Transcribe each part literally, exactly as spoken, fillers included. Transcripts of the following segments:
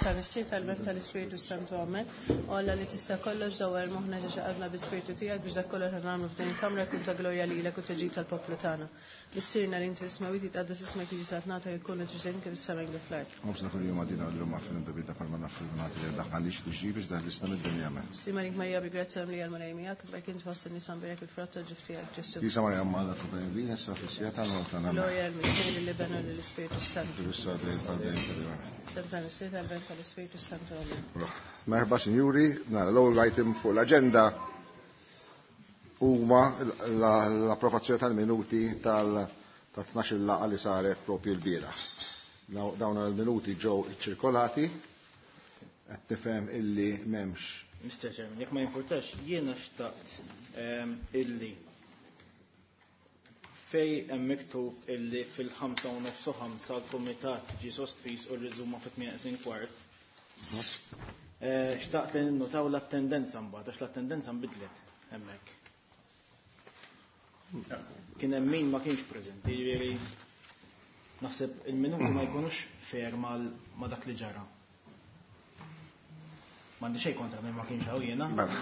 Tal-Missier, tal-Iben, tal-Ispirtu Santu, Amen. O Alla li tista' kollox dawwar moħħna ġo qalbna bi-Spirtu tiegħek biex dak kollu li nagħmlu f'din il-kamra jkun ta' glorja lilek u ta' ġid tal-poplu tagħna. Missierna li inti fis-smewwiet jitqaddes ismek jiġi saltnatek ikun li trid kif is-sema kif fl-art. Ħobżna kuljum agħtina llum aħfir dnubietna bħalma naħfru li daħħalix tiġri biex daħlisna mid-dinja amen. Sliem għalik Marija bi grazzja mimlija l-Mulej miegħek, imbierka int fost in-nisa mbierek il-frott tal-ġuf tiegħek Ġesù. Qdisa Marija Omm Alla itlob għalina issa fis-siegħa tal-mewt tagħna. Amen. Glorja lill-Missier, lill-Iben u lill-Ispirtu Santu. Kif issa dejjem tal-dejjem tal-dejjem. F'isem tal-Missier, tal-Iben, tal-Ispirtu Santu. Amen. Merħba sinjuri, nara l-ewwel item fuq l-aġenda huma l-approvazzjoni tal-minuti tal-tnax-il laqgħa li saret propju l-bieraħ. Dawn il-minuti ġew iċċirkolati, qed nifhem illi m'hemmx. Mister Chairman, jekk ma jimpurtax, jiena xtaqt ehm, illi fej hemm miktub illi fil-ħamsa u nofs u ħamsa l-kumitat ġie sospiż u rriżuma fit-tmien kwart. Eh, xtaqt li ninnotaw l-attendenza mbagħad għax l-attendenza nbidlet hemmhekk. Kien hemm min ma kienx preżenti, jiġifieri naħseb il-minuti ma jkunux fair ma' dak li ġara. M'għandi xejn kontra min ma kienx hawn jiena. Mela,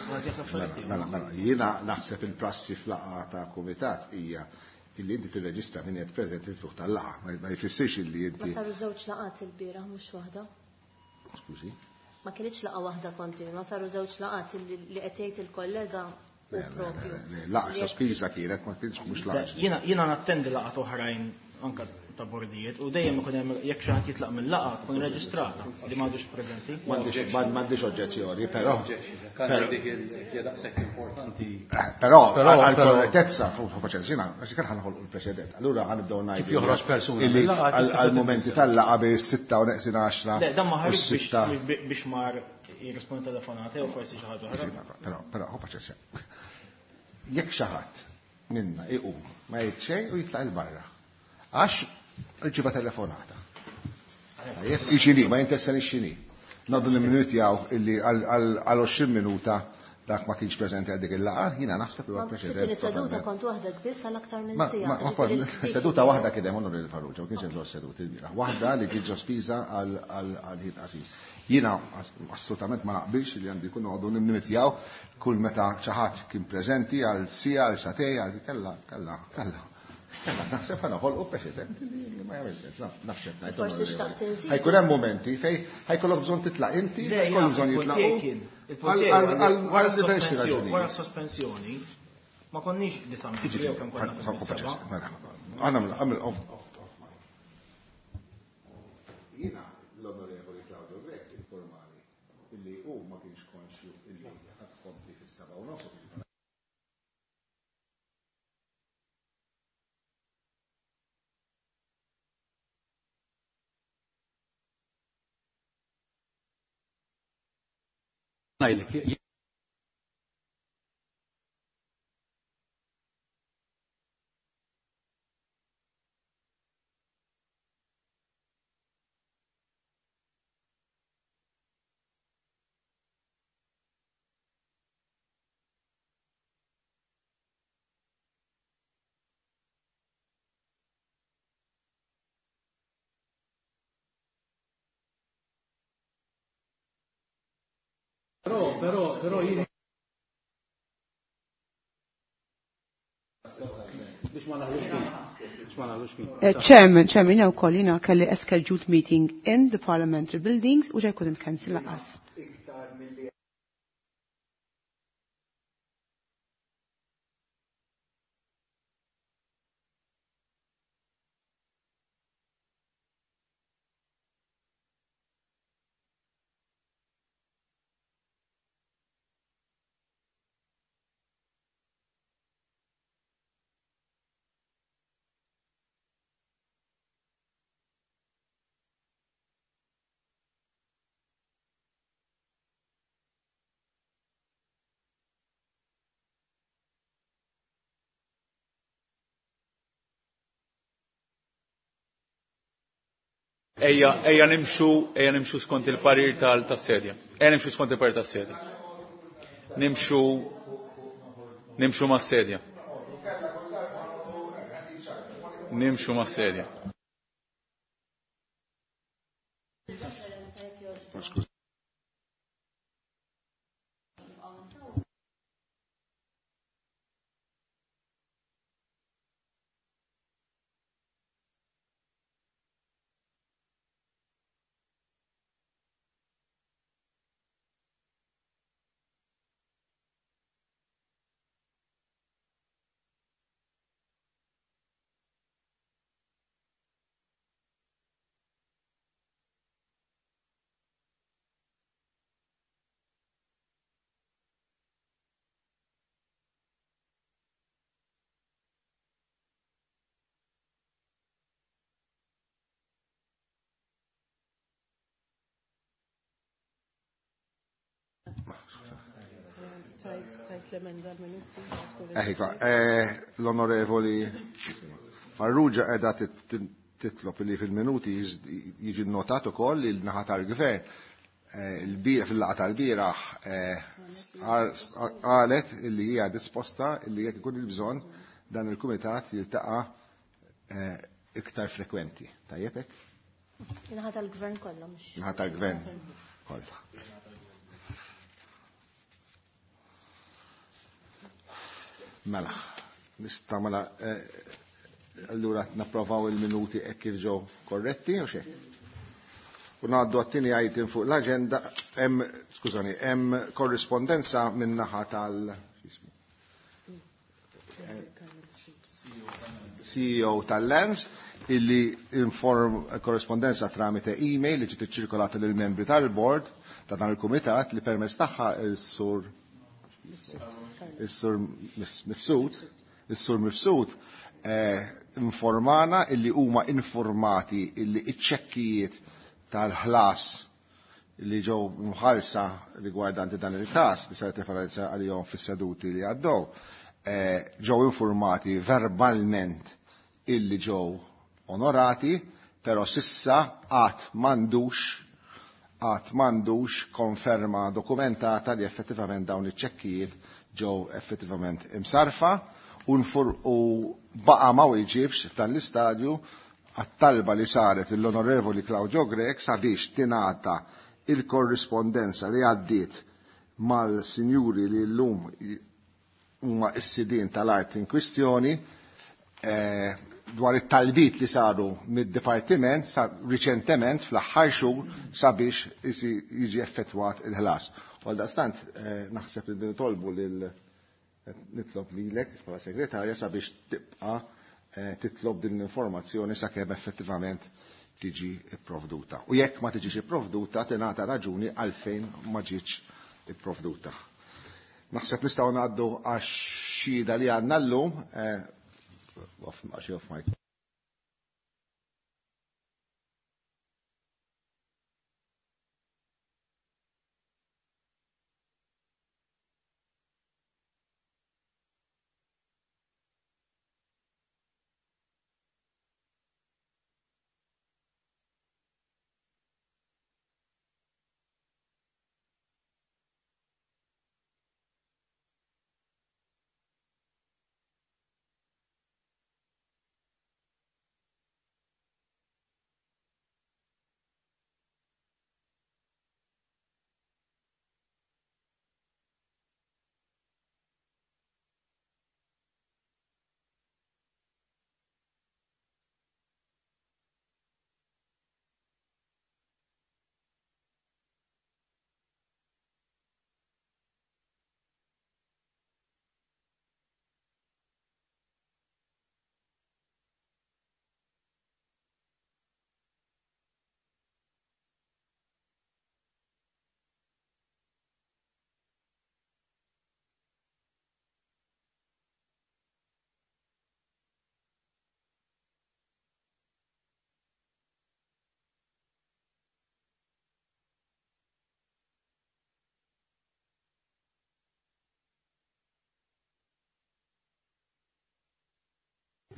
mela, mela, jiena naħseb il-prassi fl-laqgħa ta' kumitat hija illi inti tirreġistra min qed preżenti fil-fuq tal-laqgħa, ma jfissirx illi inti. Ma saru żewġ laqgħat il-bieraħ mhux waħda. Skużi. Ma kienx laqgħa waħda kontinwa, saru żewġ laqgħat li qed jgħid il-kollega. Laqgħa sospiża kienet, ma kienx mhux laqgħa. Jiena jiena nattendi laqgħat oħrajn anke ta' bordijiet u dejjem ikun hemm jekk xi ħadd jitlaq mill-laqgħa tkun reġistrata li m'għadux preżenti. M'għandix oġġezzjoni, però. Dik hija daqshekk importanti. Però għall-korrettezza fuq paċenzja, għax kien ħanħolqu l-preċedent. Allura ħanibdew ngħidu. Kif joħroġ persuna għall-mumenti tal-laqgħa bi sitta u neqsin għaxra. Le, dan ma ħareġ biex mar jirrispondi telefonati u forsi xi ħaġa oħra. Però, però, hu paċenzja. Jekk xi ħadd minna iqum ma jgħid xejn u jitlaq il barra. Għax irċieva telefonata. Ixini, ma jinteressani x'inhi. Ngħaddu l-minuti għaw illi għal għoxrin minuta dak ma kienx preżenti għal dik il-laqgħa, jiena naħseb li huwa preċedent. Seduta kont waħdek biss għal aktar minn siegħa. Seduta waħda kien hemm Onorevoli Farrugia, ma kienx hemm żewġ seduti l-bieraħ. Waħda li kien sospiża għal ħin qasir. Jiena assolutament ma naqbilx li għandu jkun noqogħdu nimmitjaw kull meta xi ħadd kien preżenti għal siegħa, għal sagħtejn, għal kella, kella, kella. Kella, naħseb ħa noħolqu preċedent li ma jagħmel sens, nafx qed ngħid. Forsi xtaqt inżid. Ħajkun hemm momenti fejn ħajkollok bżonn titlaq inti, jkollok bżonn jitlaqu. Għal diversi raġunijiet. Wara sospensjoni ma konniex disa' membri jew kemm konna fis-seba'. Għamel għamel off off off. Jiena l-Onorevoli Claudio Grech informali illi hu ma kienx konxju illi ħadd kompli fis-seba' u nofs. Ngħidlek, Però, però, però jien biex ma naħlux fin. Biex ma naħlux fin. Chairman, Chairman, jiena wkoll jiena kelli a scheduled meeting in the parliamentary buildings which I couldn't cancel laqas. Ejja, ejja nimxu, ejja nimxu skont il-parir tal-sedja. Ejja nimxu skont il-parir tas-sedja. Nimxu, nimxu mas-sedja. Nimxu mas-sedja. Tajt l-emenda l-minuti. Eħiva, l-onorevoli Farrugia qiegħda titlob li fil-minuti jiġi notat ukoll li l-naħa tal-gvern il-bira fil-laqgħa tal-bieraħ qalet li hija disposta li jekk ikun il-bżonn dan il-kumitat jiltaqa' iktar frekwenti. Tajjeb hekk? Naħa tal-gvern kollha mhux. Naħa tal-gvern kollha. Mela, nista' mela allura napprovaw il-minuti hekk kif ġew korretti u xejn. U ngħaddu għat-tieni item fuq l-aġenda hemm, skużani, hemm korrispondenza minn naħa tal C E O tal-Lens illi inform korrespondenza tramite email li ġiet iċċirkolata lil membri tal-board ta' dan il-kumitat li permezz tagħha il-sur il-sur Mifsud, il-sur Mifsud informana illi huma informati illi iċ-ċekkijiet tal-ħlas li ġew mħalsa rigwardanti dan il-każ li saret referenza għalihom fis-seduti li għaddew, ġew informati verbalment illi ġew onorati, però sissa għad m'għandux għad m'għandux konferma dokumentata li effettivament dawn iċ-ċekkijiet ġew effettivament imsarfa u baqa' ma wieġibx f'dan l-istadju għat-talba li saret l-Onorevoli Claudio Grech sabiex tingħata il-korrispondenza li għaddiet mal-sinjuri li llum huma s-sidien tal-art in kwistjoni dwar it-talbit li saru mid-dipartiment riċentement fl-aħħar xhur sabiex jiġi effettwat il-ħlas. U għaldaqstant naħseb li nitolbu lil nitlob lilek bħala segretarja sabiex tibqa' titlob din l-informazzjoni sakemm effettivament tiġi ipprovduta. U jekk ma tiġix ipprovduta tingħata raġuni għalfejn ma ġietx ipprovduta. Naħseb nistgħu ngħaddu għax-xhieda li għandna llum, off mic.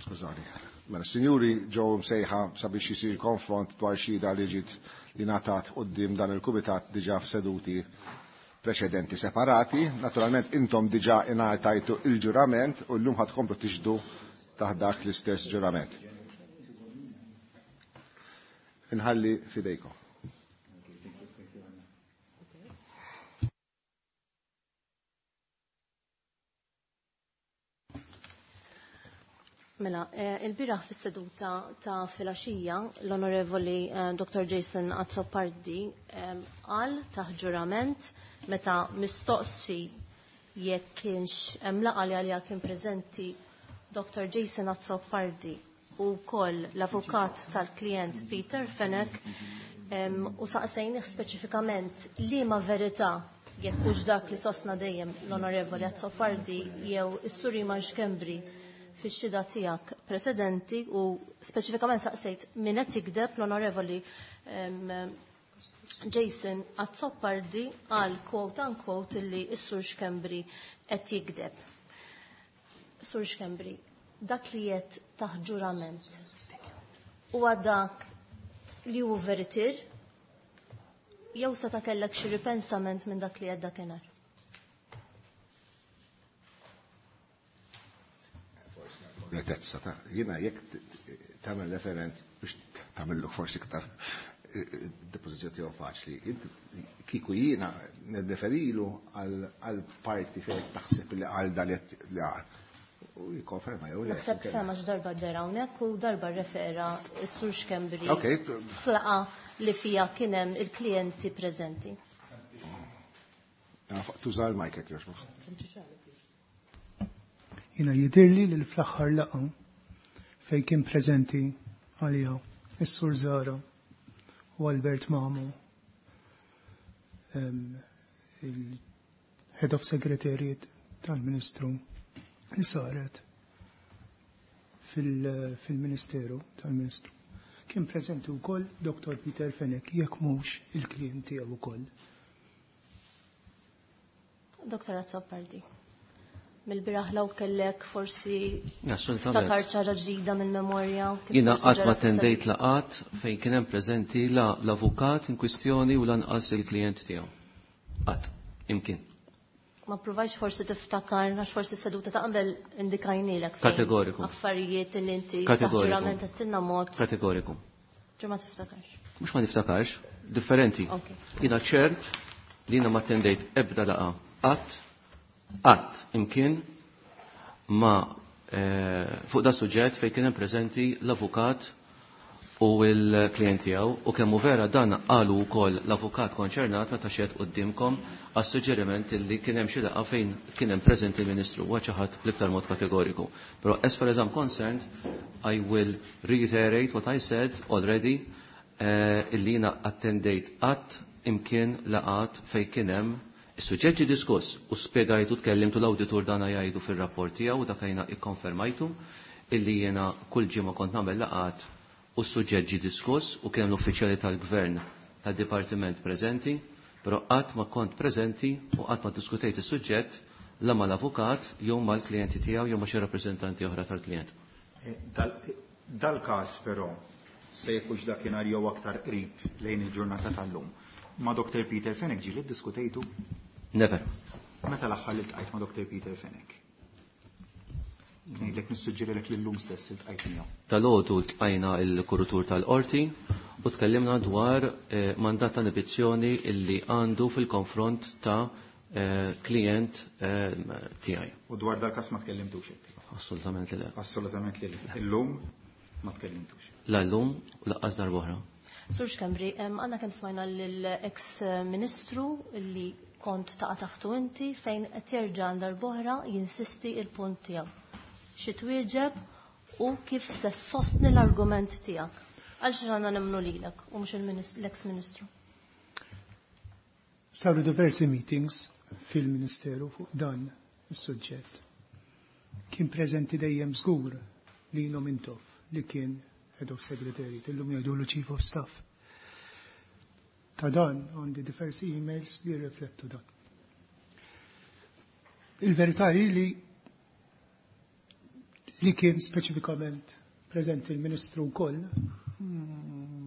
Skużani. Mela, sinjuri ġew msejħa sabiex jisir konfront dwar xhieda li ġiet li ngħatat quddiem dan il-kumitat diġà f'seduti preċedenti separati. Naturalment intom diġà ingħatajtu il-ġurament u llum ħad tkomplu tixhdu taħt dak l-istess ġurament. Inħalli fidejkom. Mela, il-biraħ fis-seduta ta' filgħaxija l-Onorevoli Doctor Jason Azzopardi qal taħt ġurament meta mistoqsi jekk kienx hemm laqgħa li għaliha kien preżenti Doctor Jason Azzopardi u wkoll l-avukat tal-klient Peter Fenech u saqsejnih speċifikament liema verità jekk hux dak li sostna dejjem l-Onorevoli Azzopardi jew is-Sur Iman Schembri fix-xhieda tiegħek preċedenti u speċifikament saqsejt min qed jikdeb l-Onorevoli Jason Azzopardi għal quote unquote illi s-Sur Schembri qed jigdeb. Sur Schembri, dak li qed taħt ġurament huwa dak li hu veritir jew seta' kellek xi ripensament minn dak li qed dakinhar? Retezza ta' jiena jekk tagħmel referent biex tagħmillu forsi iktar depożizzjoni tiegħu faċli. Kieku jiena nirreferilu għal parti fejn taħseb li għal dan li għal. U jikkonferma jew le. Naħseb sema darba dera hawnhekk u darba rrefera s-Sur Schembri flaqa li fija kien hemm il-klijenti preżenti. Tuża l-mic jekk jogħġbok. Jiena jidhirli li fl-aħħar laqgħa fejn kien preżenti għalija is-Sur Zara u Albert Mamo, il-Head of Secretariat tal-Ministru li saret fil-Ministeru tal-Ministru. Kien preżenti wkoll Doktor Peter Fenech, jekk mhux il-klient tiegħu wkoll. Doktor Azzopardi, mill-biraħ law kellek forsi ftakar ċara ġdida mill-memorja. Jiena qatt ma attendejt laqat fejn kien hemm preżenti la l-avukat in kwistjoni u lanqas il-klient tiegħu. Qatt, imkien. Ma provajx forsi tiftakar, għax forsi seduta ta' qabel indikajnilek. Kategoriku. Affarijiet li inti ġurament għattilna mod. Kategoriku. Ġur ma tiftakarx. Mhux ma niftakarx, differenti. Jiena ċert li jiena ma attendejt ebda laqa qatt qatt imkien ma fuq da suġġett fejn kien hemm preżenti l-avukat u l-klient tiegħu u kemm hu vera dan qalu wkoll l-avukat konċernat meta xed quddiemkom għas-suġġeriment li kien hemm xi laqgħa fejn kien hemm preżenti l-Ministru huwa xi ħadd bl-iktar mod kategoriku. Però as far as I'm concerned, I will reiterate what I said already illi jiena attendejt qatt imkien laqgħat fejn kien hemm is-suġġett ġie diskuss u spjegajtu tkellimtu l-awditur dana jgħidu fir-rapport tiegħu u dak jiena ikkonfermajtu illi jiena kull ġimgħa kont nagħmel laqgħat u s-suġġett ġie diskuss u kien l-uffiċjali tal-gvern tad-dipartiment preżenti, però qatt ma kont preżenti u qatt ma ddiskutejt is-suġġett la mal-avukat jew mal-klijenti tiegħu jew ma' xi rappreżentanti oħra tal-klijent. Dal-każ però se jkunx dakinhar jew aktar qrib lejn il-ġurnata tal-lum. Ma' Doktor Peter Fenech ġieli ddiskutejtu? Never. Meta l-aħħar li ltqajt ma' Doktor Peter Fenech? Ngħidlek nissuġġerilek lillum stess iltqajt miegħu. Dalgħodu ltqajna l-kurutur tal-qorti u tkellimna dwar mandat ta' inibizzjoni illi għandu fil-konfront ta' klient tiegħi. U dwar dal-każ ma tkellimtux hekk? Assolutament li le. Assolutament li le. Illum ma tkellimtux. La llum u laqqas darb'oħra. Sur Schembri, għandna kemm smajna lill-ex Ministru li kont taqa' taħtu inti fejn qed jerġa' darb'oħra jinsisti il-punt tiegħu. Xi twieġeb u kif se sostni l-argument tiegħek? Għal xi għandna nemmnu lilek u mhux l-ex-ministru. Saru diversi meetings fil-Ministeru fuq dan is-suġġett. Kien preżenti dejjem żgur Lino Mintoff li kien Head of Secretariat, illum jgħidulu Chief of Staff. Ta' dan għandi diversi emails li jirriflettu dan. Il-verità hi li li kien speċifikament preżenti l-Ministru wkoll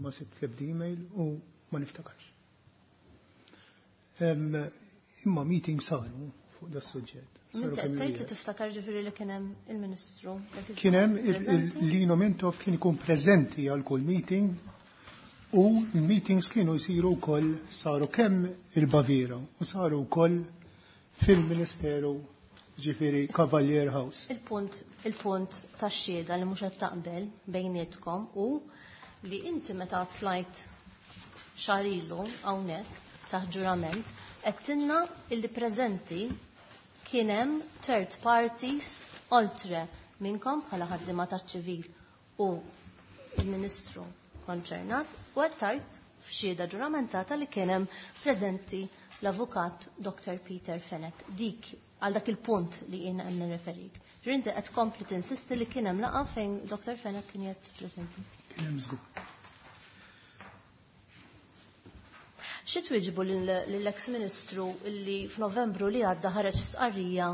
ma sibt l-ebda email u ma niftakarx. Imma meeting saru fuq da suġġett. Inti qed tgħid li tiftakar ġifieri li kien hemm il-Ministru. Kien hemm Lino Mintoff kien ikun preżenti għal kull meeting u l-meetings kienu jsiru wkoll saru kemm il-Baviera u saru wkoll fil-Ministeru ġifieri Cavalier House. Il-punt il-punt tax-xhieda li mhux qed taqbel bejnietkom u li inti meta tlajt xahar ilu hawnhekk taħt ġurament qed tinna illi preżenti kien hemm third parties oltre minnkom bħala ħaddiema taċ-ċivil u il-Ministru konċernat u qed tgħid f'xhieda ġuramentata li kien hemm preżenti l-avukat Doktor Peter Fenech. Dik għal dak il-punt li jiena hemm nirreferik. Ġifieri inti qed tkompli tinsisti li kien hemm laqgħa fejn Doktor Fenech kien qed preżenti. Kien hemm żgur. Xi twieġbu lill-ex Ministru illi f'Novembru li għadda ħareġ stqarrija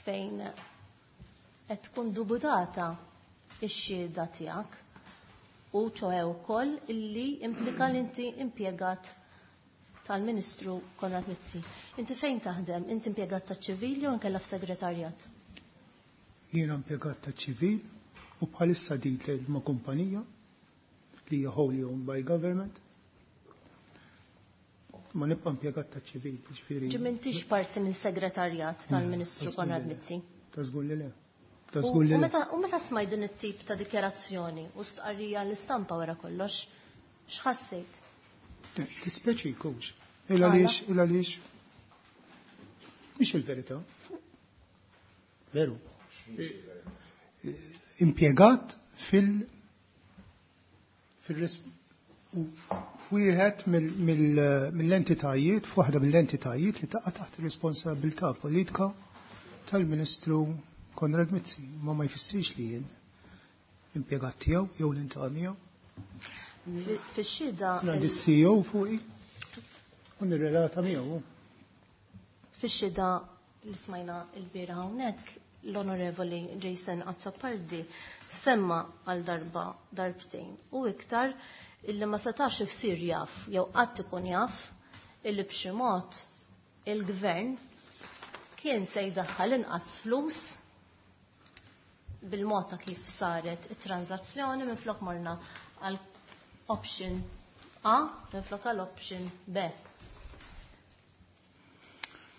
fejn qed tkun dubutata x-xhieda tiegħek u ċoħe wkoll illi implika li inti impjegat tal-Ministru Konrad Mizzi. Inti fejn taħdem? Inti impjegat taċ-ċivil jew inkella f'segretarjat? Jiena impjegat taċ-ċivil u bħalissa detailed ma' kumpanija li hija wholly owned by government. Ma nibqa' impjegat taċ-ċivil, ġifieri. Ġi m'intix parti minn segretarjat tal-Ministru Konrad Mizzi? Ta' żgur li le. Ta' U żgur li u le. meta u meta smajt din it-tip ta' dikjarazzjoni u stqarrija l-istampa wara kollox, x'ħassejt? Tispeċi jkunx. Il għaliex, il għaliex. Mhix il-verità. Veru. Impjegat fil fil f'wieħed mill-entitajiet, f'waħda mill-entitajiet li taqa' taħt ir-responsabilità politika tal-Ministru Konrad Mizzi, ma ma jfissirx li jien impjegat tiegħu jew l-intaqa' miegħu. Fix-xhieda Għandi C E O fuqi u nirrelata miegħu. Fix-xhieda li smajna l-bieraħ hawnhekk l-Onorevoli Jason Azzopardi semma għal darba darbtejn u iktar illi ma setax isir jaf jew qatt ikun jaf illi b'xi mod il-gvern kien se jdaħħal inqas flus bil-mod ta' kif saret it-transazzjoni minflok morna għal option A minflok għal option B.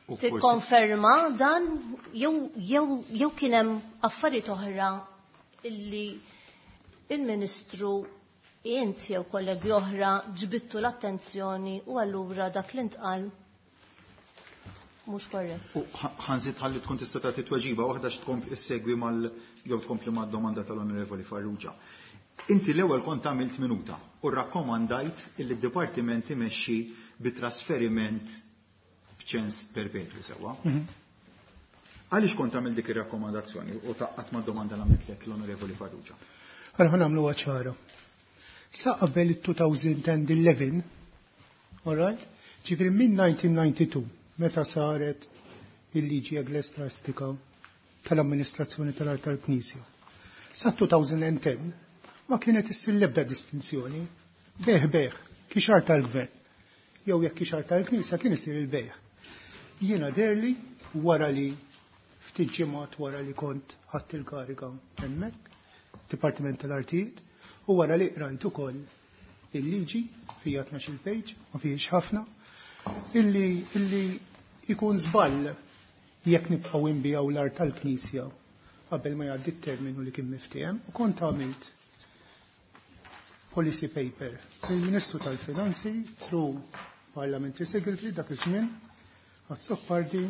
U forsi Tikkonferma dan jew, jew, jew kien hemm affarijiet oħra illi il-Ministru int jew kollegi oħra ġbittu l-attenzjoni u allura dak li ntqal mhux korrett. U ħa-, ħanżid ħalli tkun tista' tagħti tweġiba waħda x'tkompli issegwi mal jew tkompli mad-domanda tal-Onorevoli Farrugia. Inti l-ewwel kont għamilt minuta u rrakkomandajt illi d-dipartiment imexxi bi trasferiment b'ċens perpetwu sewwa. Mhm. Għaliex kont għamilt dik ir-rakkomandazzjoni u taqqat mad-domanda li għamiltlek l-Onorevoli Farrugia? Allora ħa nagħmluha ċara. Sa qabel it-two thousand and eleven, all right? Ġifieri minn nineteen ninety-two, meta saret il-liġi eklesiastika tal-amministrazzjoni tal-art tal-Knisja. Sa two thousand and ten ma kienet issir l-ebda distinzjoni. Beħ beħ, kixar tal-gvern. Jew jekk kixar tal-Knisja kien isir il-beħ. Jiena derli wara li ftit ġimgħat wara li kont ħadt il-kariga hemmhekk, Dipartiment tal-Artijiet, u wara li qrajt ukoll il-liġi fija tnax-il page, ma fihiex ħafna, illi, illi ikun żball jekk nibqgħu nbiegħu l-art tal-Knisja qabel ma jgħaddi t-terminu li kien miftiehem, u kont għamilt policy paper il-Ministru tal-Finanzi through Parliamentary Secretary dak iż-żmien Azzopardi,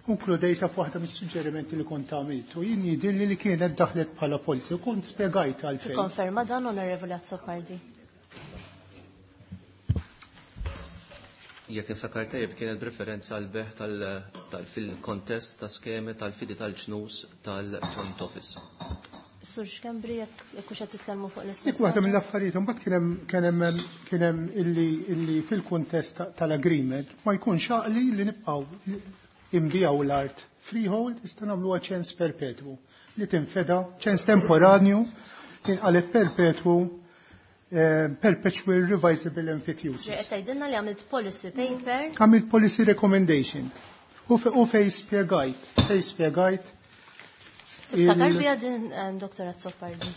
konkludejta f'waħda mis-suġġerimenti li kont għamilt u jien jidhirli li kienet daħlet bħala policy u kont spjegajt għalfejn. Tikkonferma dan, Onorevoli Azzopardi? Jekk niftakar tajjeb kienet b'referenza għal beħ tal-, tal-, fil-kontest ta' skemi tal-fidi tal-ġnus tal-Joint Office. Sur Schembri, jekk, jekk hux qed titkellmu fuq l-istess Dik waħda ħaġa? mill-affarijiet, imbagħad kien hemm, kien hemm, kien hemm illi, illi fil-kuntest ta-, tal-agreement ma jkunx għaqli li nibqgħu imbijaw l-art freehold, issa nagħmluha ċens perpetwu li tinfeda ċens temporanju tinqaleb perpetwu, eh, perpetual revisable emphyteusis. Ġej, qed tgħidilna li għamilt policy paper. Għamilt policy recommendation. U fe-, u fej spjegajt, fej spjegajt Tiftakar il- bija din, eh, Doktor Azzopardi?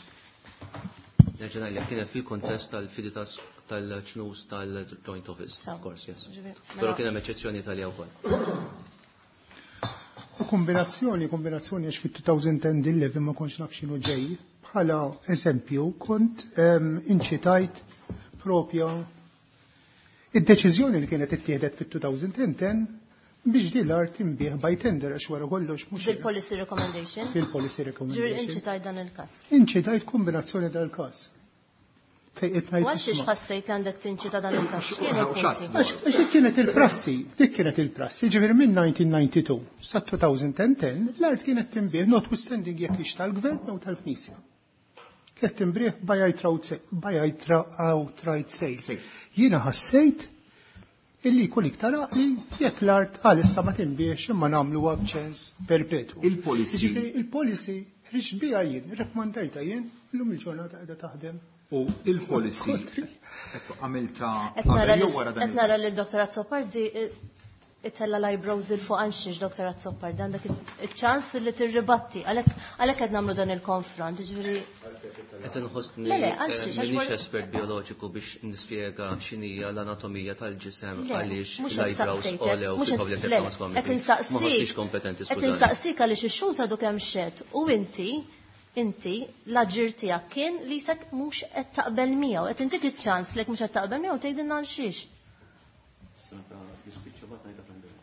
Nerġa' ngħidlek, kienet fil-kontest tal-fidi tas-, tal-ċnus tal-Joint Office, Sawa. of course, yes. Ġifieri, Però mela kien hemm eċċezzjoni Italja wkoll. U kombinazzjoni, kombinazzjoni għax fit-two thousand and eleven ma kontx naf x'inhu ġej, bħala eżempju kont, ehm, inċitajt propja id-deċiżjoni li kienet ittieħdet fit-two thousand and ten biex din l-art inbih by tender għax wara kollox mhux Fil-policy recommendation? Fil-policy Ġifieri recommendation. inċitajt dan il-każ. Inċitajt kombinazzjoni dal-każ. Fejn qed ngħid U għax isma'. ħassejt li għandek tinċita dan il-każ? X'kienu l-punti? Għax, għax dik kienet il-prassi, dik kienet il-prassi, ġifieri minn nineteen ninety-two sa two thousand and ten l-art kienet tinbih notwithstanding jekk hix tal-gvern jew tal-Knisja. Qed tinbiegħ by outright sale. Jiena ħassejt illi jkun iktar għaqli jekk l-art għalissa ma tinbiegħx imma nagħmluha b'ċens perpetwu. Il-policy. Jiġifieri il-policy ħriġt biha jien, irrakkomandajtha jien, illum il-ġurnata qiegħda taħdem. U il-policy għamilta qabel jew wara dan. Qed nara lil Dottor Azzopardi itella l-eyebrows il fuq għal xiex, Dottor Azzopardi, għandek iċ-ċans li tirribatti, għalhekk qed nagħmlu dan il-konfront, jiġifieri. Qed inħossni Le, le, għal xiex, għax m'iniex for- espert bioloġiku biex nispjega x'inhija l-anatomija tal-ġisem Le, għaliex mhux qed l-eyebrows saqsejtek, għolew mhux qed- fil-Public le, Accounts qed Committee. insaqsik- Ma ħossniex kompetenti, Qed skużani. insaqsik għaliex ix-xhud għadu kemm xed u inti inti l-aġir tiegħek kien li sek mhux qed taqbel miegħu, qed intik iċ-ċans li mhux qed taqbel miegħu tgħidilna għal xiex.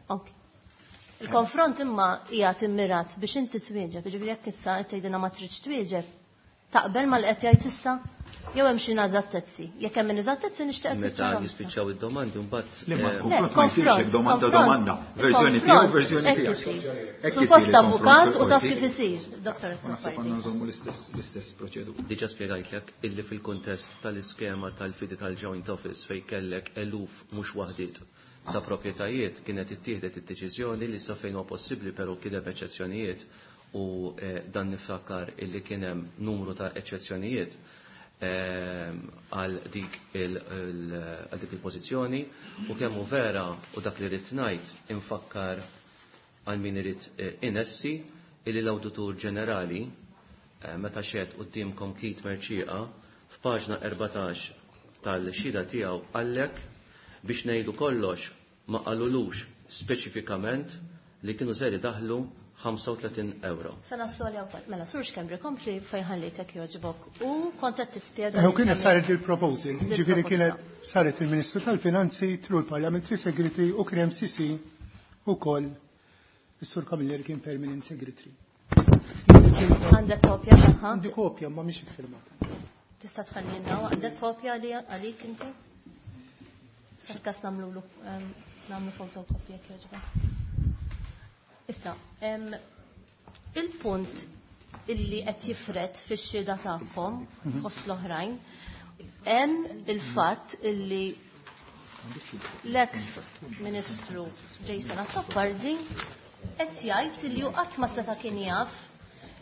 Ok. Il-konfront imma qiegħed immirat biex inti twieġeb, jiġifieri jekk issa qed tgħidilna ma tridx twieġeb, taqbel mal qed jgħid issa jew hemm xi ineżattezzi. Jekk hemm ineżattezzi nixtieq Meta tiċċarahom issa. jispiċċaw id-domandi mbagħad Le, ma eh, l-konfront ma jsirx hekk domanda konfront, domanda. Verżjoni konfront, tiegħu, verżjoni hekk tiegħek. isir. Hekk isir Suppost il-konfront avukat u taf fil-qorti. kif isir, Dottor U naħseb Azzopardi. għandna nżommu l-istess l-istess proċedura. Diġa spjegajtlek illi fil-kuntest tal-iskema tal-fidi tal-joint office fej kellek eluf mhux waħdiet ta' proprjetajiet kienet ittieħdet id-deċiżjoni li sa fejn huwa possibbli però kien hemm eċċezzjonijiet u eh, dan niftakar illi kien hemm numru ta' eċċezzjonijiet ehm, għal dik il- il- għal dik il-pożizzjoni u kemm hu vera u dak li rrid ngħid infakkar għal min irid eh, inessi illi l-Awditur Ġenerali eh, meta xed quddiemkom Keith Mercieca f'paġna erbatax tal-xhieda tiegħu qallek biex ngħidu kollox ma qalulux speċifikament li kienu ser idaħlu ħamsa u tletin euro. Se naslu għalija wkoll. Mela, Sur Schembri, kompli fejn ħallejtek jogħġbok. U kont qed tispjega Eh, U li kienet kemm saret il-proposal, Dil ġifieri proposta. kienet saret il-Ministru tal-Finanzi through il-Parliamentary Secretary u kien hemm C C ukoll is-Sur Camilleri kien Permanent Secretary. Għandek kopja tagħha? Għandi kopja ma mhix iffirmata. Tista' tħallilna għandek kopja li għalik inti? Fil-każ nagħmlu ehm, nagħmlu fotokopja jekk jogħġbok. Issa, ehm, il-punt illi qed jifret fix-xhieda tagħkom fost l-oħrajn, hemm il-fatt illi l-ex Ministru Jason Azzopardi qed jgħid illi hu qatt ma seta' kien jaf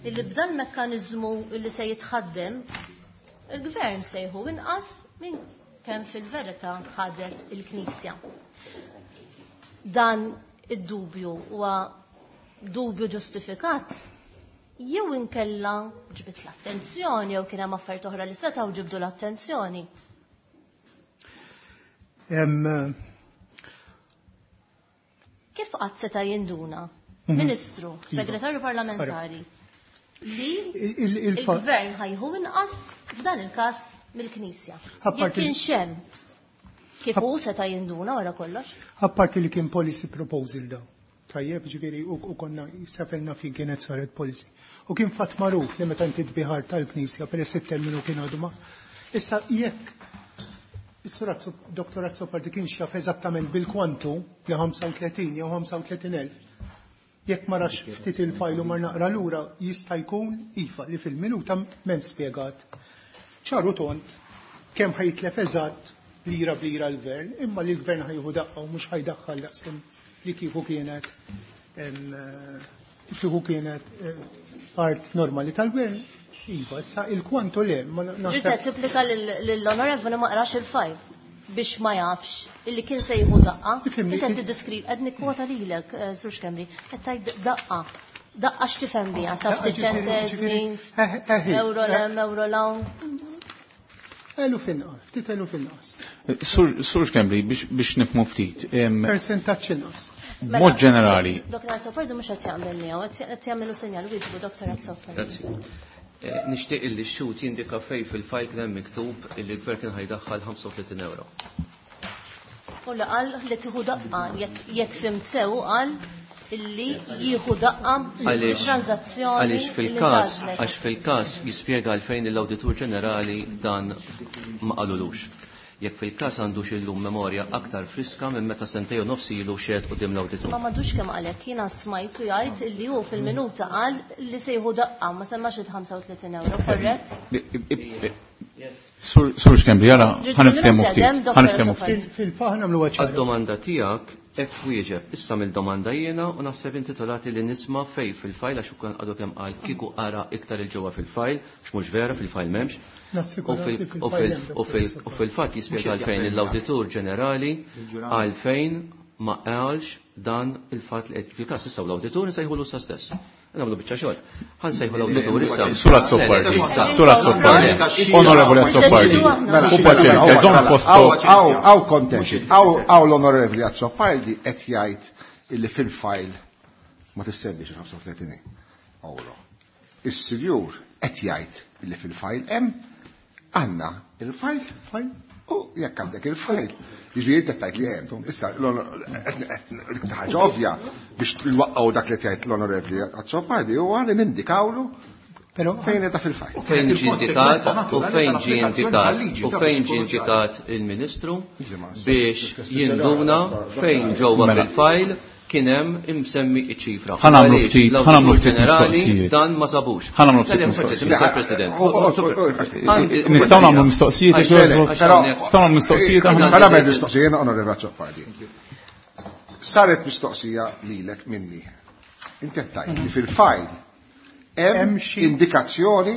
illi b'dan mekkaniżmu illi se jitħaddem il-gvern se jieħu inqas minn kemm fil-verità ħadet il-Knisja. Dan id-dubju huwa dubju ġustifikat jew inkella ġbit l-attenzjoni jew kien hemm affarijiet oħra li setgħu ġibdu l-attenzjoni. Em, Kif qatt seta' jinduna? Mhm. Ministru, Iva. segretarju parlamentari, li Il- il- il-fa- il-gvern ħajħu inqas f'dan il-każ mill-Knisja. Apparti Jekk kienx hemm, kif hu seta' jinduna wara kollox? Apparti li kien policy proposal daw. Tajjeb, ġifieri, u, u konna safelna fin kienet saret policy. U kien fatt magħruf li meta inti tbiħar tal-Knisja peress it-terminu kien għadu ma. Issa jekk is-Sur Azzo-, Doktor Azzopardi kien xaf eżattament bil-kwantu li ħamsa u tletin jew ħamsa u tletin elf, jekk ma rax ftit il-fajlu mar naqra lura jista' jkun iva li fil-minuta m'hemm spjegat. Ċaru tont kemm ħajtlef eżatt lira b'lira l-gvern, imma li l-gvern ħajħu daqqa u mhux ħajdaħħal daqskemm li kieku kienet, em, kieku kienet, eh, art normali tal-gvern. Iva, issa il-kwantu le, ma Ġiet naħseb. tipplika lill-onorevoli ma qrax il-fajl biex ma jafx illi kien se jieħu daqqa. Ifhimni, Inti qed il- tiddeskriv, qed nikkwota lilek, eh, Sur Schembri, qed tgħid daqqa. Daqqa x'tifhem biha, taf Daqqa ġifieri, ċentesmi, ġifieri, eh, eh, eh, euro lem, euro lawn. Elu finqas, ftit elu finqas. Sur, Sur Schembri, biex, biex nifhmu ftit. em, Percentaġġ inqas. B'mod ġenerali. Doktor Azzopardi mhux qed jaqbel miegħu, qed qed jagħmlu sinjal wieġbu Doktor Azzopardi. Grazzi. Eh, nixtieq illi x-xhud jindika fej fil-fajl kien hemm miktub illi l-gvern kien ħajdaħħal ħamsa u tletin euro. U li qal li tieħu daqqa, jekk, jekk fimt sew qal illi jieħu daqqa Għaliex transazzjoni għaliex li fil-każ, tgħażlet. għax fil-każ jispjega għalfejn l-Awditur Ġenerali dan ma qalulux. Jekk fil-każ għandux illum memorja aktar friska minn meta sentejn u nofs ilu xehed quddiem l-awditur. Ma madux kemm għalhekk jiena smajtu jgħid li hu fil-minuta qal li se jieħu daqqa ma semmax il-ħamsa u tletin euro, korrett? Sur Schembri, jara ħa niftehmu ftit. Ħa niftehmu ftit. Fil-faħ nagħmlu ċara. Għad-domanda tiegħek hekk wieġeb. Issa mill-domanda jiena u naħseb intitolati li nisma' fej fil-fajl għax ukoll għadu kemm qal kieku qara iktar il-ġewwa fil-fajl, għax mhux vera fil-fajl m'hemmx. U fil-fatt jispjega għalfejn l-Awditur Ġenerali għalfejn ma qalx dan il-fatt li fil-każ issa l-awditur nsejħulu sa stess. Nagħmlu biċċa xogħol. Ħa nsejħu l-awditur issa. Sur Azzopardi, Sur Azzopardi, Onorevoli Azzopardi. U paċenzja, żomm posto. Hawn contention, hawn l-Onorevoli Azzopardi qed jgħid illi fil-fajl ma tissemmix il-ħamsa u tletin euro. Is-sinjur qed jgħid illi fil-fajl hemm għandna il-fajl, fajl, u jekk għandek il-fajl. Jiġifieri inti tgħid li hemm. Issa dik ħaġa ovvja biex nwaqqgħu dak li tgħid l-Onorevoli Azzopardi huwa li nindikawlu Però fejn qiegħda fil-fajl. U fejn ġie indikat, u fejn ġie indikat, u fejn ġie indikat il-Ministru biex jinduna fejn ġewwa fil-fajl kien hemm imsemmi iċ-ċifra. Ħa nagħmlu ftit, ħa nagħmlu ftit mistoqsijiet. Dan ma sabux. Ħa nagħmlu ftit mistoqsijiet. Mister President. Nistgħu nagħmlu mistoqsijiet, nistgħu nagħmlu mistoqsijiet aħna. Nistgħu nagħmel mistoqsijiet, Onorevoli Azzopardi. Saret mistoqsija lilek minni. Inti qed tgħid li fil-fajl hemm indikazzjoni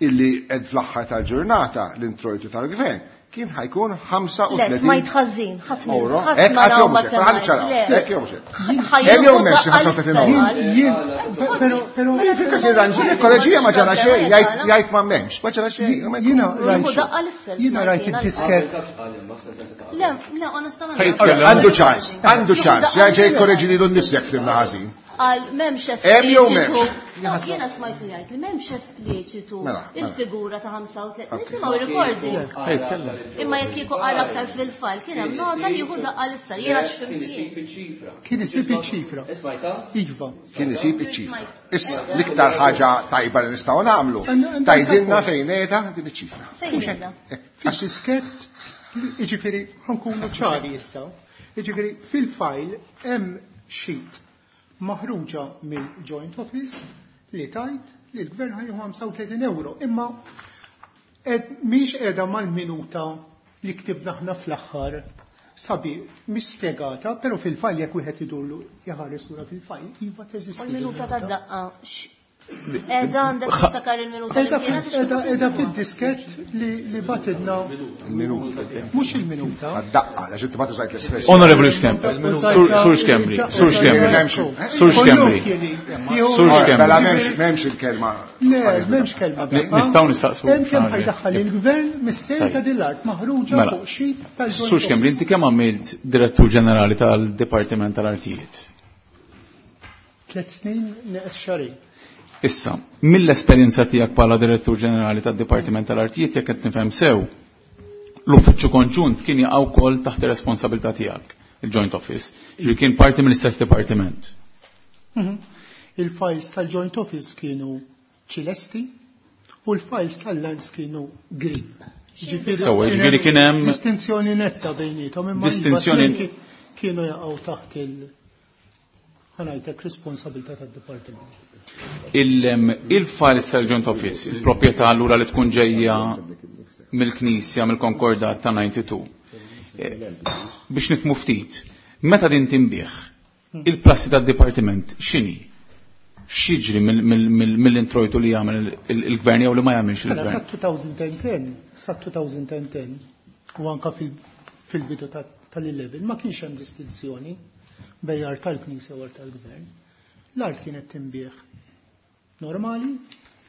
illi qed fl-aħħar tal-ġurnata l-introjtu tal-gvern kien ħajkun ħamsa u Le, tletin smajt ħażin, ħadd minn- euro. ħadd Hekk ma qatt raw jew ma mhux hekk, ħalli ċaraw, Le. hekk jew mhux hekk. Hemm jew m'hemmx ħamsa u tletin euro. Jien, però, però, Fil-każ irranġi, il-kolleġija ma ġara xejn, jgħid jgħid ma m'hemmx, ma ġara xejn. Jiena Jieħu rajt daqqa l-isfel, jiena smajt rajt jiena. id-disket. Le, le, onestament. Għandu ċans, għandu ċans, jerġa' jikkoreġi lilu nnifsu jekk flimna ħażin. Għal m'hemmx Hemm jew espliċitu. m'hemmx? No, jiena smajtu jgħid li m'hemmx espliċitu Mela, mela. il-figura ta' ħamsa u tletin. Nisimgħu recording. Imma jekk kieku qara aktar fil-fajl kien hemm nota li jieħu daqqa l-isfel. Jiena x'fimt jien. Kien isib iċ-ċifra. Iva. Kien isib iċ-ċifra. Issa, l-iktar ħaġa tajba li nistgħu nagħmlu, tgħidilna fejn qiegħda din iċ-ċifra. Fejn qiegħda? Fid-diskett, jiġifieri ħa nkunu ċari issa. Jiġifieri fil-fajl hemm sheet maħruġa mill-Joint Office li tajt li l-gvern ħa jieħu ħamsa u tletin euro. Imma mhix qiegħda mal-minuta li ktibna aħna fl-aħħar sabi mhix spjegata, però fil-fajl jekk wieħed idurlu jħares lura fil-fajl, iva teżisti. U l-minuta tad-daqqa. Qiegħda għandek tiftakar il-minuta li kienet Qiegħda qiegħda fid-diskett li li batidna. Il-minuta. Mhux il-minuta. Għad-daqqa, għax inti ma tużajt l-espressjoni. Onorevoli Schembri, Sur Schembri, Sur Schembri, Sur Schembri, Sur Schembri. Mela m'hemmx m'hemmx il-kelma. Le, m'hemmx kelma daqqa. Nistgħu nistaqsu. Hemm kemm ħa jdaħħal il-gvern mis-sejl ta' din l-art maħruġa Mela. fuq sheet tal-Joint Sur Schembri, inti kemm għamilt direttur ġenerali tal-Dipartiment tal-Artijiet? Tliet snin neqes xahrejn. Issa, mill-esperjenza tiegħek bħala direttur ġenerali tad-Dipartiment tal-Artijiet jekk qed nifhem sew, l-uffiċċju konġunt kien jaqa' wkoll taħt ir-responsabilità tiegħek, il-Joint Office, ġifieri kien parti mill-istess dipartiment. Mhm. Il-files tal-Joint Office kienu ċilesti u l-files tal-Lands kienu green. Ġifieri Sewwa, ġifieri kien hemm distinzjoni netta bejniethom imma Distinzjoni iva kienu jaqgħu taħt il- ħa ngħidlek responsabilità tad-dipartiment. Il-files tal-Joint Office, il-proprjetà allura li tkun ġejja mill-Knisja, mill-Konkordat ta' ninety-two. Eh, biex nifhmu ftit, meta din tinbih, il-prassi tad-dipartiment x'inhi? X'jiġri mill-introjtu li jagħmel il-gvern jew li ma jagħmilx Mela, il-gvern? sa two thousand ten, sa two thousand ten, u anka fil-bidu tal-eleven, ma kienx hemm distinzjoni bejn art tal-Knisja u art tal-Gvern. L-art kienet tinbiegħ normali,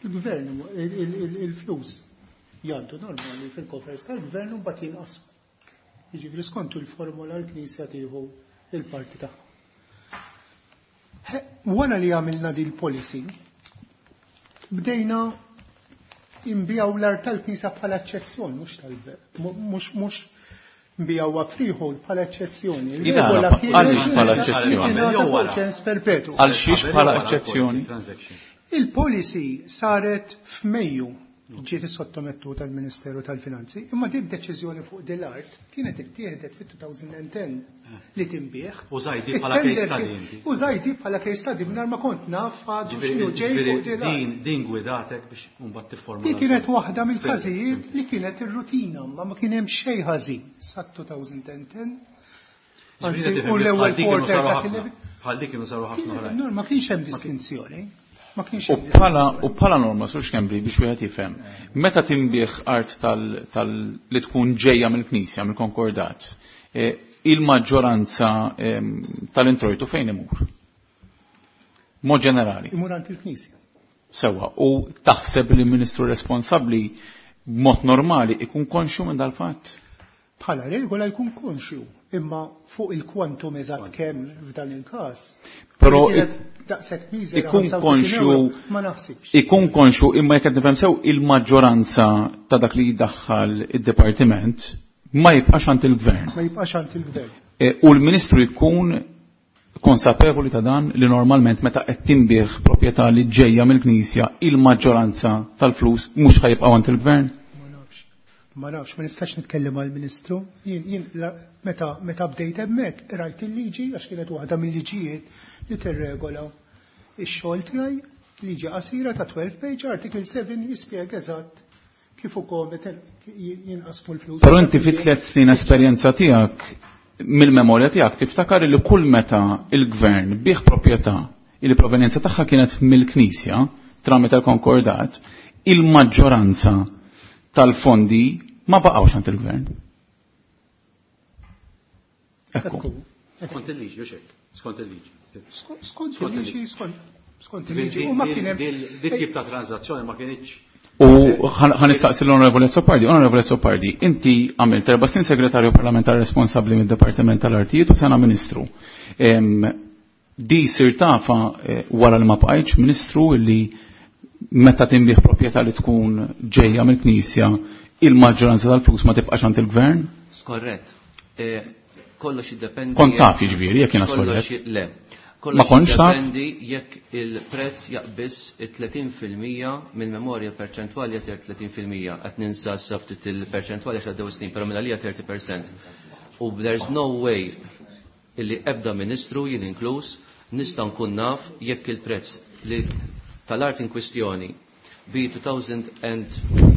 il-gvern, il-flus jgħaddu normali fil-coffers tal-gvern u mbagħad jinqasmu. Jiġifieri skontu l-formula l-Knisja tieħu il-parti tagħha. Wara li għamilna din il-policy, bdejna nbigħu l-art tal-Knisja bħala eċċezzjoni, mhux tal-gvern, mhux mhux nbigħuha freehold bħala eċċezzjoni. Għaliex bħala eċċezzjoni? Perpetu. Għal xiex bħala eċċezzjoni? Il-policy saret f'Mejju Ġiet sottomettuta tal-Ministeru tal-Finanzi, imma din deċiżjoni fuq din l-art kienet ittieħdet fit-elfejn u għaxra li tinbiegħ. Użajt di bħala case study inti. Użajt di bħala case study mingħajr ma kont naf għadu x'inhu ġej fuq din l-art. Din din gwidatek biex mbagħad tifforma. Di kienet waħda mill-każijiet li kienet ir-rutina, ma ma kien hemm xejn ħażin sa elfejn u għaxra. Anzi, u l-ewwel quarter ta' Bħal dik kienu saru ħafna oħrajn. No, ma kienx hemm distinzjoni. Ma kienx U hemm bħala u bħala norma, Sur Schembri, biex wieħed jifhem, meta tinbiegħ art tal, tal li tkun ġejja mill-Knisja, mill-Konkordat, eh, il-maġġoranza ehm, tal-introjtu fejn imur? Mod ġenerali. Imur għand il-Knisja. Sewa, u taħseb li l-Ministru responsabbli b'mod normali ikun konxju minn dal-fatt? Bħala regola jkun konxju, imma fuq il-kwantum eżatt kemm f'dan il-każ. Però Kienet daqshekk miżera ikun ħamsa u tletin konxju euro, ma naħsibx. Ikun konxju, imma jekk qed nifhem sew, il-maġġoranza ta' dak li jdaħħal id-dipartiment ma jibqax għand il-gvern. Ma jibqax għand il-gvern. E, u l-Ministru jkun konsapevoli ta' dan, li normalment meta qed tinbiegħ proprjetà li ġejja mill-Knisja, il-maġġoranza tal-flus mhux ħa jibqgħu għand il-gvern? Ma nafx. Ma nafx, ma nistax nitkellem għal-Ministru. Jien, jien la- meta, meta bdejt hemmhekk, rajt il-liġi, għax kienet waħda mill-liġijiet li tirregola ix-xogħol tiegħi, liġi qasira ta' tnax page, article seba' jispjega eżatt kif ukoll meta jinqasmu l-flus. Però inti fi tliet snin esperjenza tiegħek, mill-memorja tiegħek tiftakar li kull meta il-gvern biegħ proprjetà il provenjenza tagħha kienet mill-Knisja tramite l-Konkordat, il-maġġoranza tal-fondi ma baqgħux għand il-gvern. Ekku. Skont il-liġi, u xek, skont il-liġi. Skont il-liġi, skont skont il-liġi. U ma kien hemm Dit tip ta' transazzjoni ma kienx. U ħa nistaqsi l-Onorevole Azzopardi. Onorevole Azzopardi, inti għamilt erba' snin segretarju parlamentari responsabbli mid-Departiment tal-Artijiet u sena ministru. Em, Di sirt tafha eh, wara li ma bqajtx ministru li meta tinbiegħ proprjetà li tkun ġejja mill-Knisja, il-maġġoranza tal-flus ma tibqax għand il-gvern? Skorrett. Eh, Kollox jiddependi. Kont taf jiġifieri jekk jiena Kollox skorrett. Le. Ma Kollox kontx taf? jiddependi jekk il-prezz jaqbiż it-tletin fil-mija. Mill-memorja perċentwali jagħti tletin fil-mija, qed ninsa sa ftit il-perċentwali għax għaddew snin, però minn għalija tletin fil-mija. U there's no way illi ebda ministru, jien inkluż, nista' nkun naf jekk il-prezz li tal-art in kwistjoni bi elfejn u tmienja,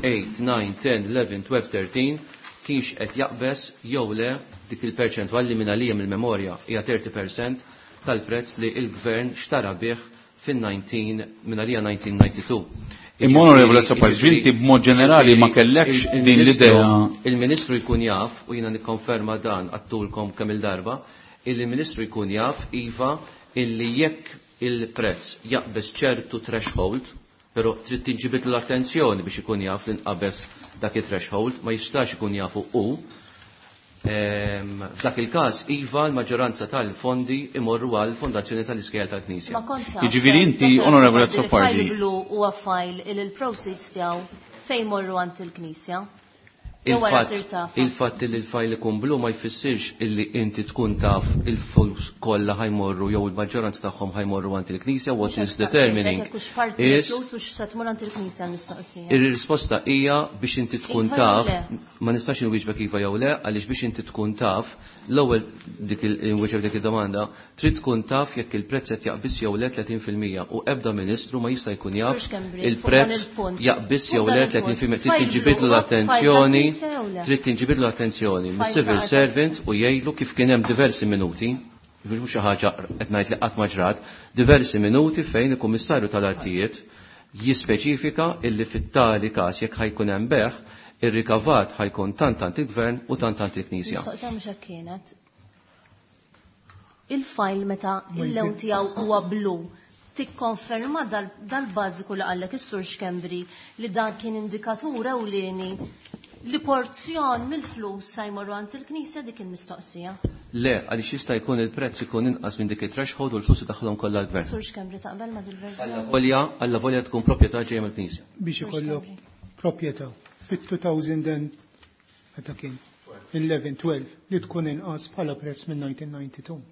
disa', għaxra, għonax, tnax, tlettax kienx qed jaqbeż jew le dik il-perċentwal li minn għalija mill-memorja hija tletin fil-mija tal-prezz li il-gvern xtara bih fin-nineteen minn għalija elf disa' mija u tnejn u disgħin. Imma Onorevole Azzopardi, inti b'mod ġenerali ma kellekx din l-idea? Il-Ministru jkun jaf, u jiena nikkonferma dan għedtulkom kemm il-darba, il-Ministru jkun jaf iva illi jekk il-prezz jaqbeż ċertu threshold, però trid tinġibid l-attenzjoni biex ikun jaf li nqabeż dak il-threshold, ma jistax ikun jafu u. Ehm, F'dak il-każ, iva, l-maġġoranza tal-fondi imorru għal Fondazzjoni tal-Iskejjel tal-Knisja. Ma kont taf, Jiġifieri inti, Dottor Onorevole Azzopardi, Azzopardi. li file blu huwa file il il-proceeds tiegħu se jmorru għand il-Knisja. Jew wara Il-fatt sirt tafha? Il-fatt li l-file ikun blu ma jfissirx illi inti tkun taf il-flus kollha ħa jmorru jew il-maġġoranza tagħhom ħa jmorru għand il-Knisja. What is determining Jekk hux parti is mill-flus u x'se tmur għand il-Knisja l-mistoqsija. Ir-risposta hija biex inti tkun Iva jew taf, le? Ma nistax inwieġbek iva jew le, għaliex biex inti tkun taf, l-ewwel dik il-inwieġeb dik id-domanda, trid tkun taf jekk il-prezz qed jaqbiż jew le tletin fil-mija u ebda ministru ma jista' jkun jaf Sur Schembri, fuq dan il-prezz il-punt. jaqbiż Fuq jew dan le il-punt. tletin fil-mija. Trid File tinġibidlu blu huwa file l-attenzjoni, tal-Knisja jew le? trid tinġibidlu l-attenzjoni File mis-civil ta' servant u jgħidlu kif kien hemm diversi minuti, mhux xi ħaġa qed ngħid li qatt ma ġrat, diversi minuti fejn il-Kummissarju tal-Artijiet jispeċifika illi fit-tali każ jekk ħa jkun hemm bejgħ, ir-rikavat ħa jkun tant tant il-gvern u tant tant il-Knisja. Mistoqsija mhux hekk kienet. Il-file meta il-lewn tiegħu huwa blu, tikkonferma dal- dal-bażiku li qallek is-Sur Schembri li dan kien indikatur ewlieni li porzjon mill-flus sa jmorru għand il-Knisja? Dik il-mistoqsija. Le, għaliex jista' jkun il-prezz ikun inqas minn dik it-threshold u l-flus idaħħalhom kollha l-gvern. Sur Schembri, taqbel ma dil-verżjoni? Volja, alla volja tkun proprjetà ġejja mill-Knisja. Biex ikollok proprjetà fit-elfejn meta kien għaxra, tnax li tkun inqas bħala prezz minn elf disa' mija u tnejn u disgħin.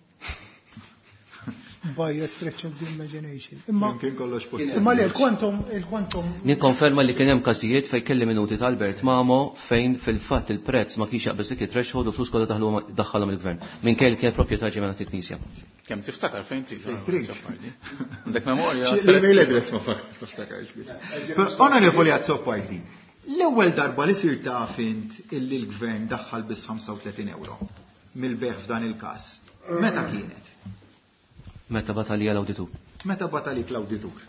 by a stretch of the imagination. Imma Kien kollox possibbli. imma le il-quantum il-quantum Nikkonferma li kien hemm każijiet fejn kelli minuti ta' Albert Mamo fejn fil-fatt il-prezz ma kienx jaqbeż dik it-threshold u flus kollha daħlu daħħalhom il-gvern. Minkejja li kienet proprjetà ġej il-Knisja. Kemm tiftakar fejn trid. Trid. Għandek memorja. L-email address ma fakar tiftakarx biss. Onorevoli Azzopardi, l-ewwel darba li sirt taf int illi l-gvern daħħal biss ħamsa u tletin euro mill-bejgħ f'dan il-każ. Meta kienet? Meta bagħat għalija l-awditur. Meta bagħat għalik l-awditur?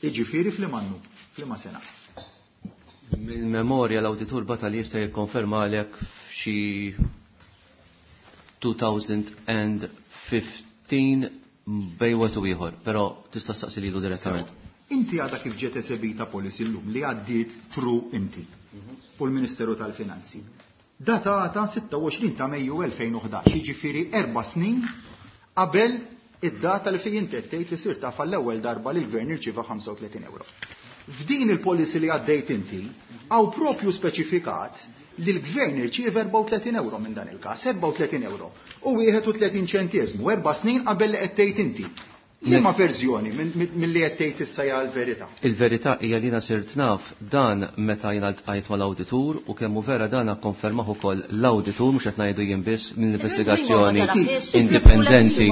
Iġifieri f'liema annu, f'liema sena. Mill-memorja l-awditur bagħat għalija, jista' jikkonferma għalek, f'xi elfejn u ħmistax bejn wieħed u ieħor, però tista' staqsi lilu direttament. Inti għadha kif ġiet esebita policy llum li għaddiet through inti u l-Ministeru tal-Finanzi. Datata sitta u għoxrin ta' Mejju elfejn u ħdax, jiġifieri erba' snin qabel id-data li fejn inti qed tgħid li sirt taf l-ewwel darba li l-gvern irċieva ħamsa u tletin euro. F'din il-policy li għaddejt inti, hawn propju speċifikat li l-gvern irċieva erbgħa u tletin euro minn dan il-każ, erbgħa u tletin euro u wieħed u tletin ċentesmu, erba' snin qabel li qed tgħid inti. Liema verżjoni mill-li qed tgħid issa hija l-verità? Il-verità hija li jiena sirt naf dan meta jiena ltqajt mal-awditur, u kemm hu vera dan akkonfermah ukoll l-awditur, mhux qed ngħidu jien biss, mill-investigazzjoni indipendenti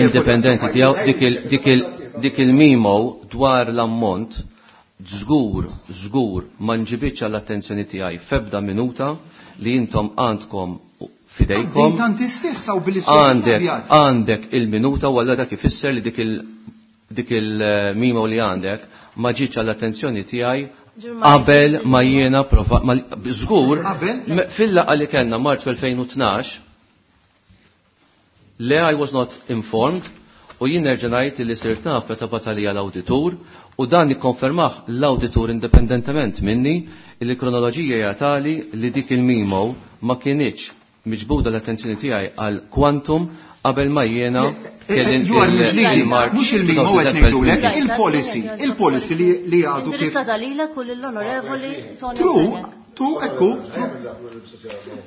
indipendenti tiegħu. dik il dik il dik il-memo dwar l-ammont żgur żgur ma nġibitx għall-attenzjoni tiegħi f'ebda minuta li intom għandkom fidejkom. Għaddejt inti stess u billi Għandek għandek il-minuta u għalla dak ifisser li dik il dik il-memo li għandek ma ġietx għall-attenzjoni tiegħi qabel ma jiena prova ma- żgur Qabel? me- fil-laqgħa li kellna Marzu elfejn u tnax, le, I was not informed, u jien nerġa' ngħid li sirt naf meta bagħat għalija l-awditur, u dan ikkonfermah l-awditur indipendentement minni li kronoloġija hija tali li dik il-memo ma kinitx miġbuda l-attenzjoni tiegħi għal quantum qabel ma jiena kelli You are misleading. il-March Mhux il-memo qed ngħidulek, il-policy, il-policy li li għadu kif. Indirizzata lilek u lill-Onorevoli Tony True, Fenech. tu, ekku, true.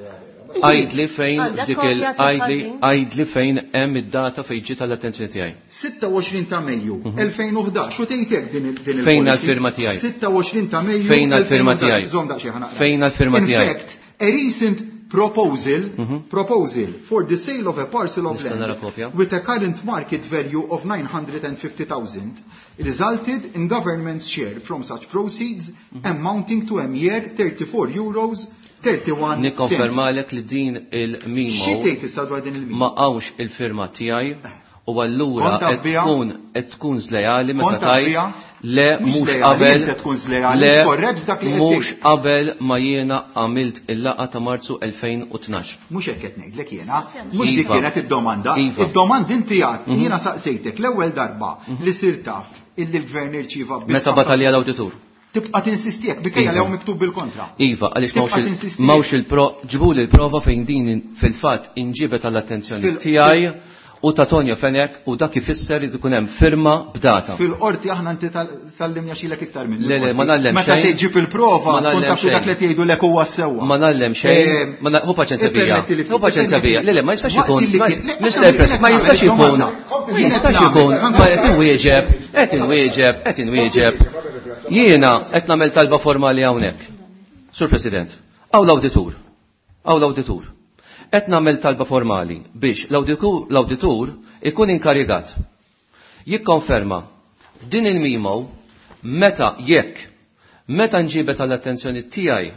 Għidli fejn Għandek dik il kopja għidli tal-ħażin? Għidli fejn hemm id-data fejn ġiet għall-attenzjoni tiegħi. sitta u għoxrin ta' Mejju elfejn u ħdax u tgħidek din il- din il-policy. Fejn għall-firma tiegħi? sitta u għoxrin ta' Mejju Fejn għall-firma elfejn u ħdax. tiegħi? Żomm daqsxejn, ħa naqra. Fejn għall-firma In tiegħi? fact, a recent proposal proposal for the sale of a parcel of Nista' nara land kopja? with a current market value of nine hundred fifty thousand resulted in government's share from such proceeds amounting to a mere thirty-four euros thirty-one cents. Nikkonfermalek li din il-memo Xi tgħid issa dwar din il-memo? ma hawnx il-firma tiegħi u allura Kont taf qed biha? tkun qed tkun żlejali meta Kont taf tajt biha? le, Mhux mhux żlejali, qabel inti tkun żlejali, le mhux korrett f'dak li qed mhux tgħid. qabel ma jiena għamilt il-laqgħa ta' Marzu elfejn u tnax. Mhux hekk qed ngħidlek jiena, mhux dik Iva. kienet id-domanda. Iva. Id-domanda inti għad, jiena saqsejtek l-ewwel darba li sir taf illi l-gvern irċieva biss Meta bagħat għalija l-awditur. Tibqa' tinsisti hekk minkejja Iva. li hawn miktub bil-kontra. Iva, għaliex Tibqa' m'hawnx il- tinsisti. m'hawnx il-pro ġibuli l-prova fejn din fil-fatt inġibet għall-attenzjoni Fil- tiegħi u ta' Tonio Fenech, u dak ifisser li tkun hemm firma b'data. Fil-qorti aħna inti tgħallimna xilek iktar minn. Le, le, ma ngħallem Meta xejn. tiġib il-prova, Ma tkun ngħallem taf li dak xejn. li qed jgħidu lek huwa sewwa. Ma ngħallem xejn, Eh, ma na- hu paċenzja bija. ippermetti li- Hu paċenzja bija. Le, le, ma jistax Waqt ikun. li ma- kien- le, Mister għamil- President, ma jistax għamil ikun. domanda. Ma jistax ikun. Ma qed inwieġeb, qed inwieġeb, qed inwieġeb. Jiena qed nagħmel talba formali hawnhekk. Sur President, hawn l-awditur. Hawn l-awditur. Qed nagħmel talba formali biex l-awditur l-awditur ikun inkarigat jikkonferma din il-memo meta jekk meta nġibet għall-attenzjoni tiegħi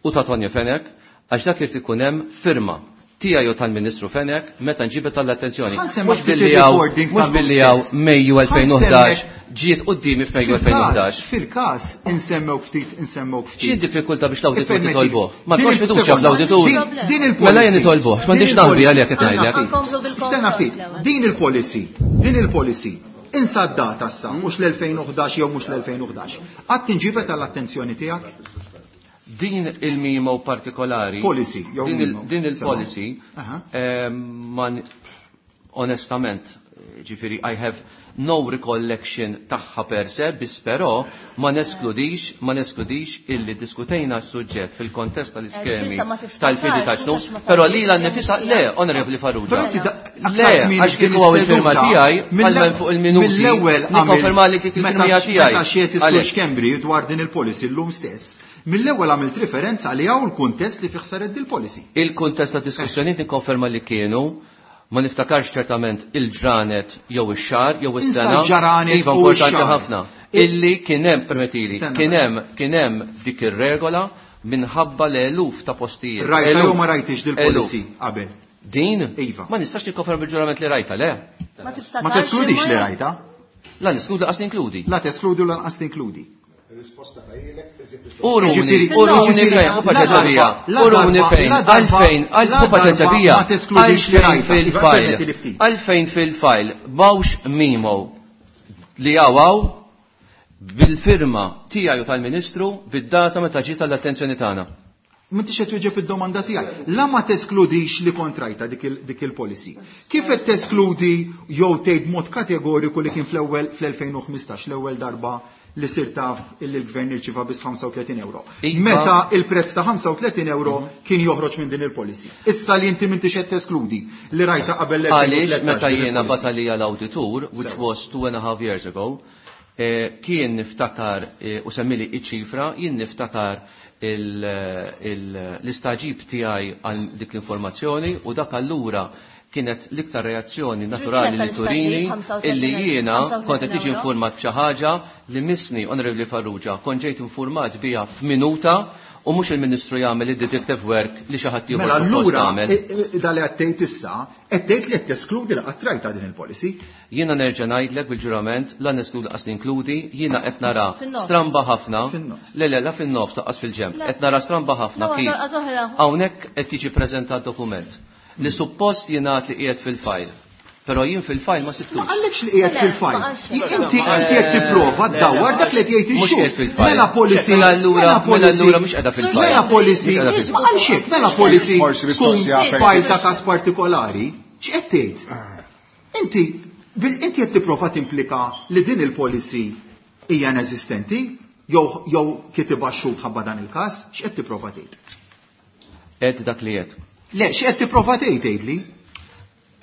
u ta' Tonio Fenech, għax dak irid ikun hemm firma tiegħi u tal-Ministru Fenech meta nġibet għall-attenzjoni. Ħa nsemmek Mhux ftit billi hawn il-recording mhux tal-lum billi hawn stess. Mejju elfejn u ħdax Ħa nsemmek- ġiet quddiemi f'Mejju elfejn u ħdax. Fil-każ insemmew ftit, insemmew ftit. Xi diffikultà biex l-awditur Ippermetti. titolbuh? Ma Din tkunx il- fiduċja sekonda. fl-awditur. Din- Din il-policy. Mela jien nitolbuh, m'għandix Din naħbi il-policy. għalhekk qed ngħidlek. Nkomplu bil-konkos Stenna ftit, l-ewwel. din il-policy, din il-policy, insa d-data sa, mhux l-elfejn u ħdax jew mhux l-elfejn u ħdax. Qatt inġibet għall-attenzjoni tiegħek? Din il-memo partikolari. Policy, jew din il- memo. Din il-policy, Aha. ehm, man onestament, ġifieri, I have no recollection tagħha per se, biss però ma neskludix, ma neskludix illi diskutejna s-suġġett fil-kontest tal-iskemi Eh, ma tiftakarx, tal-fidi ta' mhux għax ma però sarx li l nifisa, le, tiegħek. Onorevoli Farrugia. Però inti da- Le, għax kieku hawn il-firma tiegħi, bħalma fuq il-minuti, Mill-ewwel nikkonferma li dik il-firma tiegħi. Meta xiet is-Sur Għalhekk. Schembri dwar din il-policy llum stess, mill-ewwel għamilt referenza li hawn il-kuntest li fih saret dil-policy. Il-kuntest ta' diskussjonijiet nikkonferma li kienu, ma niftakarx ċertament il-ġranet jew ix-xahar jew Insa is-sena. l-ġranet Iva u importanti x-xahar. ħafna. Illi kien hemm permettili, Stenna. kien hemm kien hemm dik ir-regola minħabba l-eluf ta' postijiet. Rajta Eluf. jew ma rajtix dil-policy Eluf. qabel. Din? Iva. Ma nistax nikkonferma bil-ġurament li rajta, le. Ma tiftakarx. Ma teskludix imma- li rajta. La niskludi qas ninkludi. La teskludi u lanqas tinkludi. Uruni, Ġifieri- uruni ġifieri, fejn, u la paċenzja darba- la uruni darba- fejn, la darba- għalfejn, la għal u darba paċenzja bija, ma teskludix li għalfejn rajta. Iva, fil-fajl, permetti li ftit. għalfejn fil-fajl, mawx mimo li għawaw bil-firma tiegħi u tal-Ministru bid-data meta ġiet l-attenzjoni tagħna. M'intix qed twieġeb id-domanda tiegħi. La ma teskludix li kontrajta dik il- dik il-policy. Kif qed teskludi jew tgħid mod kategoriku li kien fl-ewwel fl-elfejn u ħmistax l-ewwel darba li sir taf illi l-gvern irċieva biss ħamsa u tletin euro. Iva. Meta il-prezz ta' ħamsa u tletin euro kien joħroġ minn din il-policy. Issa li inti m'intix qed teskludi li rajta qabel Għaliex l-elfejn u tlettax meta din jiena il-policy. batalija l-awditur, which was two and a half years ago, eh, kien niftakar eh, u semmili iċ-ċifra, jien niftakar il- il- l-istaġib tiegħi għal dik l-informazzjoni u dak allura kienet l-iktar reazzjoni naturali li turini illi jiena kont qed tiġi informat b'xi ħaġa li missni Onorevoli Farrugia kont ġejt informat biha f'minuta u mhux il-Ministru jagħmel id-detective work li xi ħadd ieħor Mela suppost allura jagħmel. i- i- dali qed tgħid issa, qed tgħid li qed teskludi li qatt rajta din il-policy. Jiena nerġa' ngħidlek bil-ġurament la neskludi qas ninkludi, jiena qed nara Fin-nofs. stramba ħafna. Fin-nofs. Le le la fin-nofs laqqas fil-ġemp. Le. Qed nara stramba ħafna No, kif. għal oħra. Hawnhekk qed jiġi preżentat dokument li suppost jingħad li qiegħed fil-fajl. Però jien fil-fajl ma Ma sibtux. għallekx li qiegħed Le, fil-fajl. ma qalx. Inti inti qed tipprova ddawwar dak li qed jgħid Mhux qiegħed ix-xhur. fil-fajl. Mela policy. Mela allura- mela mela policy- allura mhux qiegħda fil-fajl. Mela policy. Mhux qiegħda fil-fajl. Ma qalx hekk, mela policy Forsi tkun mistoqsija fejn. fajl ta' każ partikolari. X'qed tgħid? Inti bil- inti qed tipprova timplika li din il-policy hija ineżistenti jew jew kitibha x-xhur ħabba dan il-każ, x'qed tipprova tgħid? Qed dak li qed. Le, x'qed tipprova tgħid tgħidli?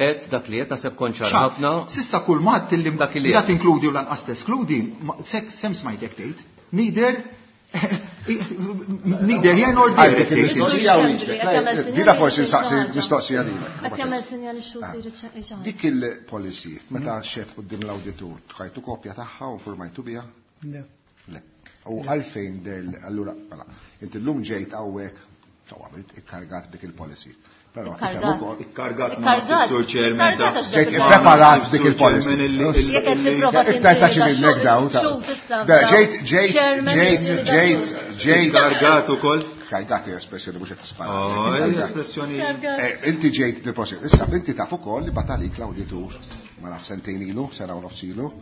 Qed dak li qed naħseb kont ċar Xa, ħafna. Sissa kull mat li Dak li la qed. tinkludi u lanqas teskludi, ma- sek sem smajtek tgħid. Neither neither here nor there. Għajtek qed tgħid. il-mistoqsija u wieġbek. Dina forsi nsaqsi mistoqsija lilek. Qed jagħmel sinjal ix-xhur xi ħaġa. Dik il-policy, meta xed quddiem l-awditur, tħajtu kopja tagħha u informajtu biha? Le. Le. U għalfejn der, allura, mela, inti llum ġejt hawnhekk, sew għamilt, ikkargat dik il-policy. Però tifhem Ikkargat. ukoll Ikkargat ma Ikkargat. Sur Chairman. Ikkargat għax Ġejt dak ippreparat dik il-policy. Jekk qed tipprova Iktar ta' xi tintimida minnek daw. ta' xhur issa Da, Ġejt, ġejt, Chairman ġejt, intimida ġejt, ġejt. Ikkargat ukoll. Kargat hija espressjoni mhux qed tispara. Oh, Ikkargat. espressjoni. Eh, Inti ġejt il-policy. Issa inti taf ukoll li batalik l-awditur ma naf sentejn ilu, sena u nofs ilu.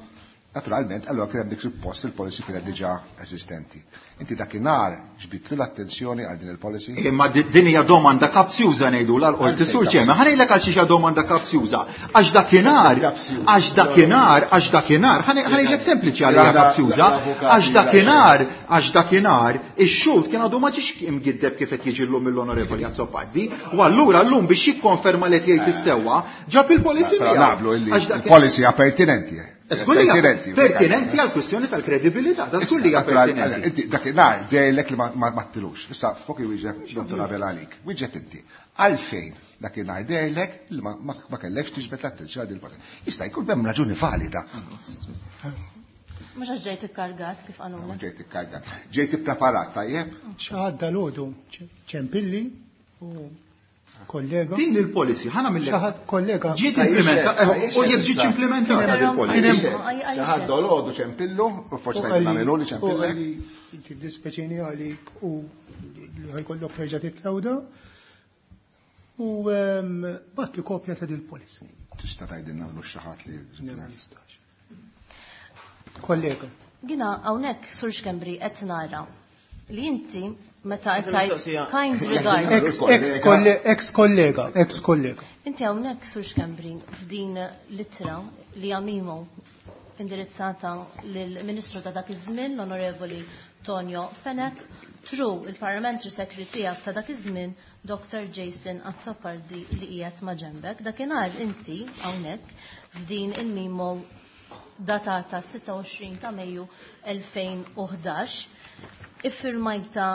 Naturalment, allora kien hemm dik suppost il-policy kienet diġà eżistenti. Inti dakinhar ġbidtlu l-attenzjoni għal din il-policy? Imma di- din hija domanda kapzjuża ngħidu l qorti Sur Chairman. Ħa ngħidlek għal xi domanda kapzjuża. Għax dakinhar, għax dakinhar, għax dakinhar, ħa ngħidlek sempliċi għal hija kapzjuża, għax dakinhar, għax dakinhar ix-xhud kien għadu ma ġiex imgiddeb kif qed jiġi llum mill-Onorevoli Azzopardi, u allura llum biex jikkonferma li qed jgħid is-sewwa, ġab il-policy Però miegħu. naqblu illi Għax dak- il-policy hija pertinenti. eh. Żgur li hija Pertinenti. pertinenti għal kwistjoni tal-kredibilità, da żgur li hija Issa, natural- pertinenti. Inti dakinhar dejlek li ma ma ma ttilux. Issa fuq wieġeb Dottor Abel għalik. Wieġeb inti. Għalfejn dakinhar dejlek li ma ma ma kellekx tiġbed l-attenzjoni għal din il-policy. Jista' jkun hemm raġuni valida. Mhux għax ġejt ikkargat kif qalulek. Ġejt ikkargat. Ġejt ippreparat tajjeb? Xi ħadd dalgħodu ċempilli u kollega. Din il-policy ħana mill Xi ħadd kollega. Ġiet implementata, u jekk ġietx implementata Però- il-policy. Xi ħadd dolodu ċempillu, u forsi U tajt għalli- nagħmelu li u ċempillek. għalli inti dispeċini għalik u li ħajkollok terġa' titlawda. U ehm, bat li kopja ta' dil-policy. Tista' tgħidilna nagħmlu xi ħadd li Le, ma nistax. Kollega. Gina hawnhekk Sur Schembri qed nara li inti meta qed tgħid Mistoqsija. kind regard. Ex, ex, kolle, ex kollega, ex kollega. Inti hawnhekk Sur Schembri f'din l-ittra li għamimu indirizzata lill-Ministru ta' dak iż-żmien l-Onorevoli Tonio Fenech through il-Parliamentary Secretary tiegħek ta' dak iż-żmien Doctor Jason Azzopardi li qiegħed ma' ġembek. Dakinhar inti hawnhekk f'din il-memo datata sitta u għoxrin ta' Mejju elfejn u ħdax iffirmajta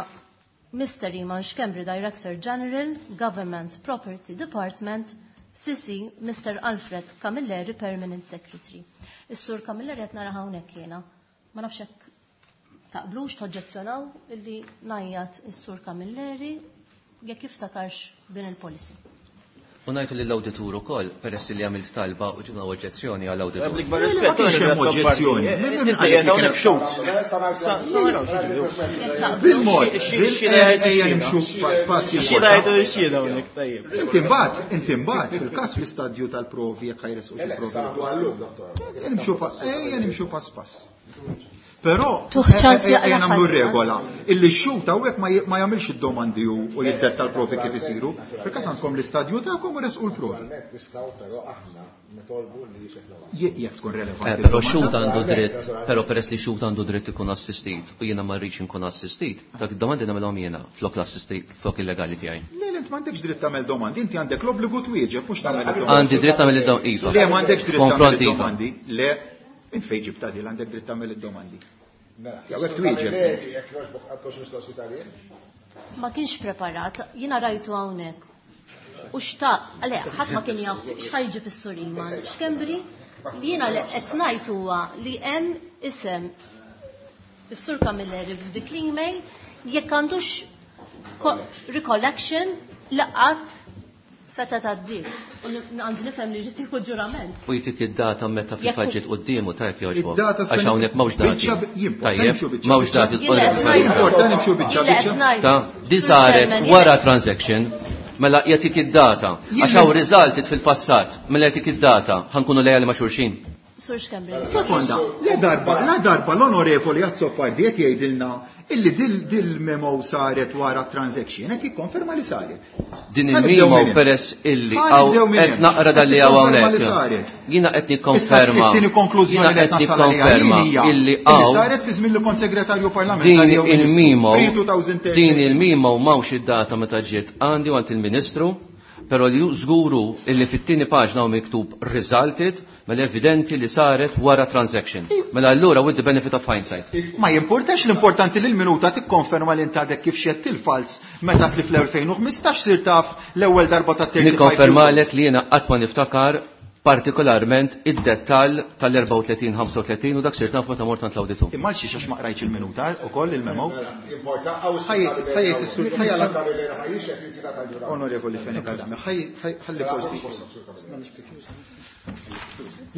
Mister Iman Schembri, Director General, Government Property Department, C C Mister Alfred Camilleri, Permanent Secretary. Is-Sur Camilleri qed nara hawnhekk jiena. Ma nafx hekk taqblux toġġezzjonaw illi ngħajjat is-Sur Camilleri jekk jiftakarx din il-policy. U ngħidu lill-awditur ukoll peress li għamilt talba u ġibna oġġezzjoni għall-awditur. Bl-ikbar Le, le, ma rispett, kienx hemm oġġezzjoni. Inti qiegħed hawnhekk xut. Bil-mod, ejja nimxu pass pass Xi ngħidu xhieda hawnhekk, tajjeb. Inti mbagħad, inti mbagħad fil-każ fl-istadju tal-provi jekk ħajresqu xi provi. Ejja nimxu pass, ejja nimxu pass pass. Però Tuħ ċans ejja jaqla' nagħmlu ħadd. regola illi x-xut hawnhekk ma j-, ma jagħmilx id-domandi u, u jiddetta l-provi kif isiru. Fil-każ għandkom l-istadju tagħkom u resqu l-provi. Nistgħu però aħna nitolbu li jixeħlu. Je-, jekk tkun relevanti. Eh, però il-domanda. xut għandu dritt, però peress li xut għandu dritt ikun assistit u jiena ma rridx inkun assistit, dak id-domandi nagħmilhom jiena flok l-assistit, flok illegali tiegħi. Le, le, int m'għandekx dritt tagħmel domandi, inti għandek l-obbligu twieġeb mhux tagħmel id-domandi. Għandi dritt tagħmel id-domandi, iva. Le, m'għandekx dritt tagħmel Konfront, iva. id-domandi. Le, int fejn ġibta din għandek dritt tagħmel id-domandi. Mela, Jew hekk twieġeb. Jekk jogħġbok għandkom xi mistoqsijiet għalih? Ma kienx preparat, jiena rajtu hawnhekk. U xtaq, għale, ħadd ma kien jaf x'ħajġi fis-Sur Iman Schembri, li jiena li qed ngħid huwa li hemm isem is-Sur Camilleri f'dik l-email jekk għandux ko-, recollection li qatt seta' tgħaddi. U n-, għandi nifhem li ġiet tieħu ġurament. U jtik id-data meta Jekk fil-fatt ġiet quddiemu tajjeb jogħġbok. Id-data Għax sena- hawnhekk m'hawnx dati. Biċċa bi-, jimporta, Tajjeb, nimxu biċċa m'hawnx biċċa. dati Jien tqolli qed fil-fatt. ngħid. Jimporta nimxu biċċa Jien qed biċċa. ngħid. Ta' di saret Chairman, wara jien transaction, mela jagħtik id-data. Jien Għax hawn resulted fil-passat, mela jagħtik id-data, ħankunu lejali ma' xulxin. Sur Schembri. Sekonda, la darba, la darba l-onorevoli Azzopardi qed jgħidilna illi dil, dil memo saret wara transaction, qed jikkonferma li saret. Din Ħa nibdew il-memo minn hemm. peress illi Ħa hawn nibdew minn qed hemm. naqra Qed dan li hawn tikkonferma li hawnhekk. saret. Jiena qed Issa nikkonferma. it-tieni konklużjoni Jiena li qed qed nasal għaliha nikkonferma jien hija illi illi hawn saret fi żmien li kont segretarju parlamentari din jew ministru. il-memo Pre-two thousand thirteen. din il-memo m'hawnx id-data meta ġiet għandi u għand il-Ministru, però li żguru illi fit-tieni paġna hawn miktub resulted, mela evidenti li saret wara transaction. Mela allura with the benefit of hindsight. Ma jimportax, l-importanti li l-minuta tikkonferma li inti għadek kif xett il-fals meta tli fl-elfejn u ħmistax sir taf l-ewwel darba ta' thirty-five Nikkonferma euros. lek li jiena qatt ma niftakar partikolarment id-dettall tal-erbgħa u tletin, ħamsa u tletin u dak sirt naf meta mort għand l-awditur. Imma għal xiex għax ma qrajtx il-minuta ukoll il-memo. Importa, għaw Ħajjit, ħajjit is-sur, ħajja ħajjit. Onorevoli Fenech Adami, ħaj-, ħaj-, ħalli forsi.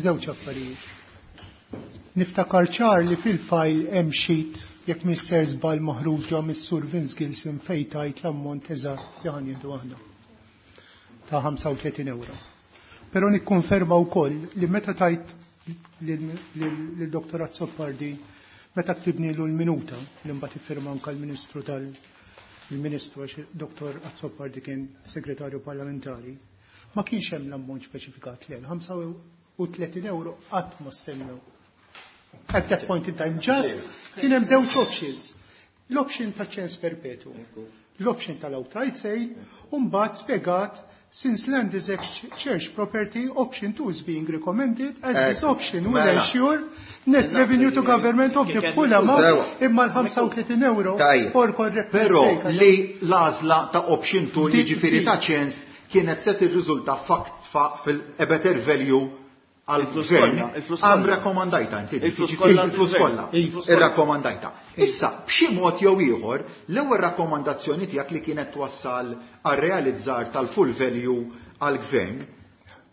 Żewġ affarijiet. Niftakar ċar li fil-fajl hemm sheet jekk mister żball maħruġa mis-Sur Vince Gilson fejn tajt l-ammont eżatt li ħan jieħdu aħna ta' ħamsa u tletin euro. Però nikkonferma wkoll li meta tajt lil Doktor Azzopardi meta ktibnilu l-minuta li mbagħad iffirma anke l-Ministru tal il-Ministru għax Doktor Azzopardi kien segretarju parlamentari, ma kienx hemm l-ammont speċifikat lejn ħamsa u tletin euro qatt ma semmew. At that point in time, just kien hemm żewġ options. L-option ta' ċens perpetu, l-option tal-outright sale, u mbagħad spjegat since land is ex-church property, option two is being recommended as this Ekku, option will mela. ensure net revenue to government of the full amount imma l-ħamsa u tletin euro Tajjeb. for correctness Però sake. li l-għażla ta' option two Dik- jiġifieri dik. ta' ċens kienet se tirriżulta fakt fa' fil-better value Il-flus għal-gvern, kollha, il-flus għam kollha. rakkomandajta inti, Il-flus jiġifieri kollha il-flus għall-gvern. kollha. Il-flus kollha. Irrakkomandajta. Issa, b'xi mod jew ieħor, l-ewwel rakkomandazzjoni tiegħek li kienet twassal għar-realizzar tal-full value għall-gvern,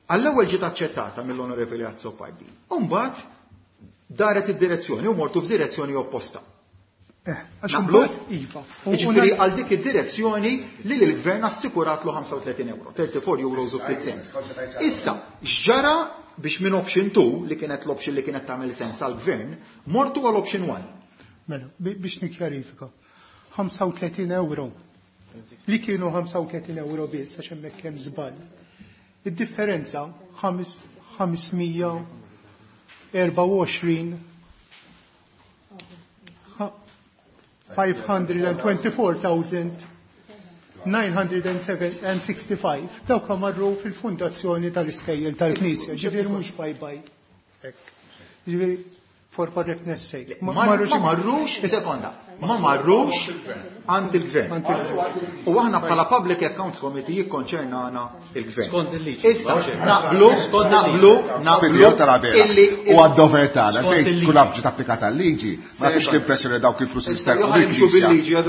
għall-ewwel ġiet aċċettata mill-Onorevoli Azzopardi. U mbagħad daret id-direzzjoni u mortu f'direzzjoni opposta. Eh, għax Naqblu? imbagħad, iva. U- u Jiġifieri na- għal dik id-direzzjoni li l-gvern assikuratlu ħamsa u tletin euro, thirty-four euros u fifty cents. Issa, x'ġara biex minn option two, li kienet l-option li kienet tagħmel sens għall-gvern, mortu għal option one. Mela, bi-, biex nikjarifika. ħamsa u tletin euro. Li kienu ħamsa u tletin euro biss, għax hemmhekk hemm żball. Id-differenza ħames-, ħamsmija erba' u għoxrin, ħa-, five hundred and twenty-four thousand nine hundred and sixty-five dawk marru fil-fundazzjoni tal-iskejjel tal-Knisja, ġifieri mhux bye bye. Ġifieri for correctness sake. Ma marrux, sekonda, ma marrux għand il-gvern. U aħna bħala Public Accounts Committee jikkonċernana il-gvern. Skont il-liġi. Issa, naqblu, naqblu, naqblu. Illi u għad-dover tagħna, fejn kull ġiet applikata l-liġi, ma tix l-impressjoni dawk il-flus jisterqu mill-Knisja.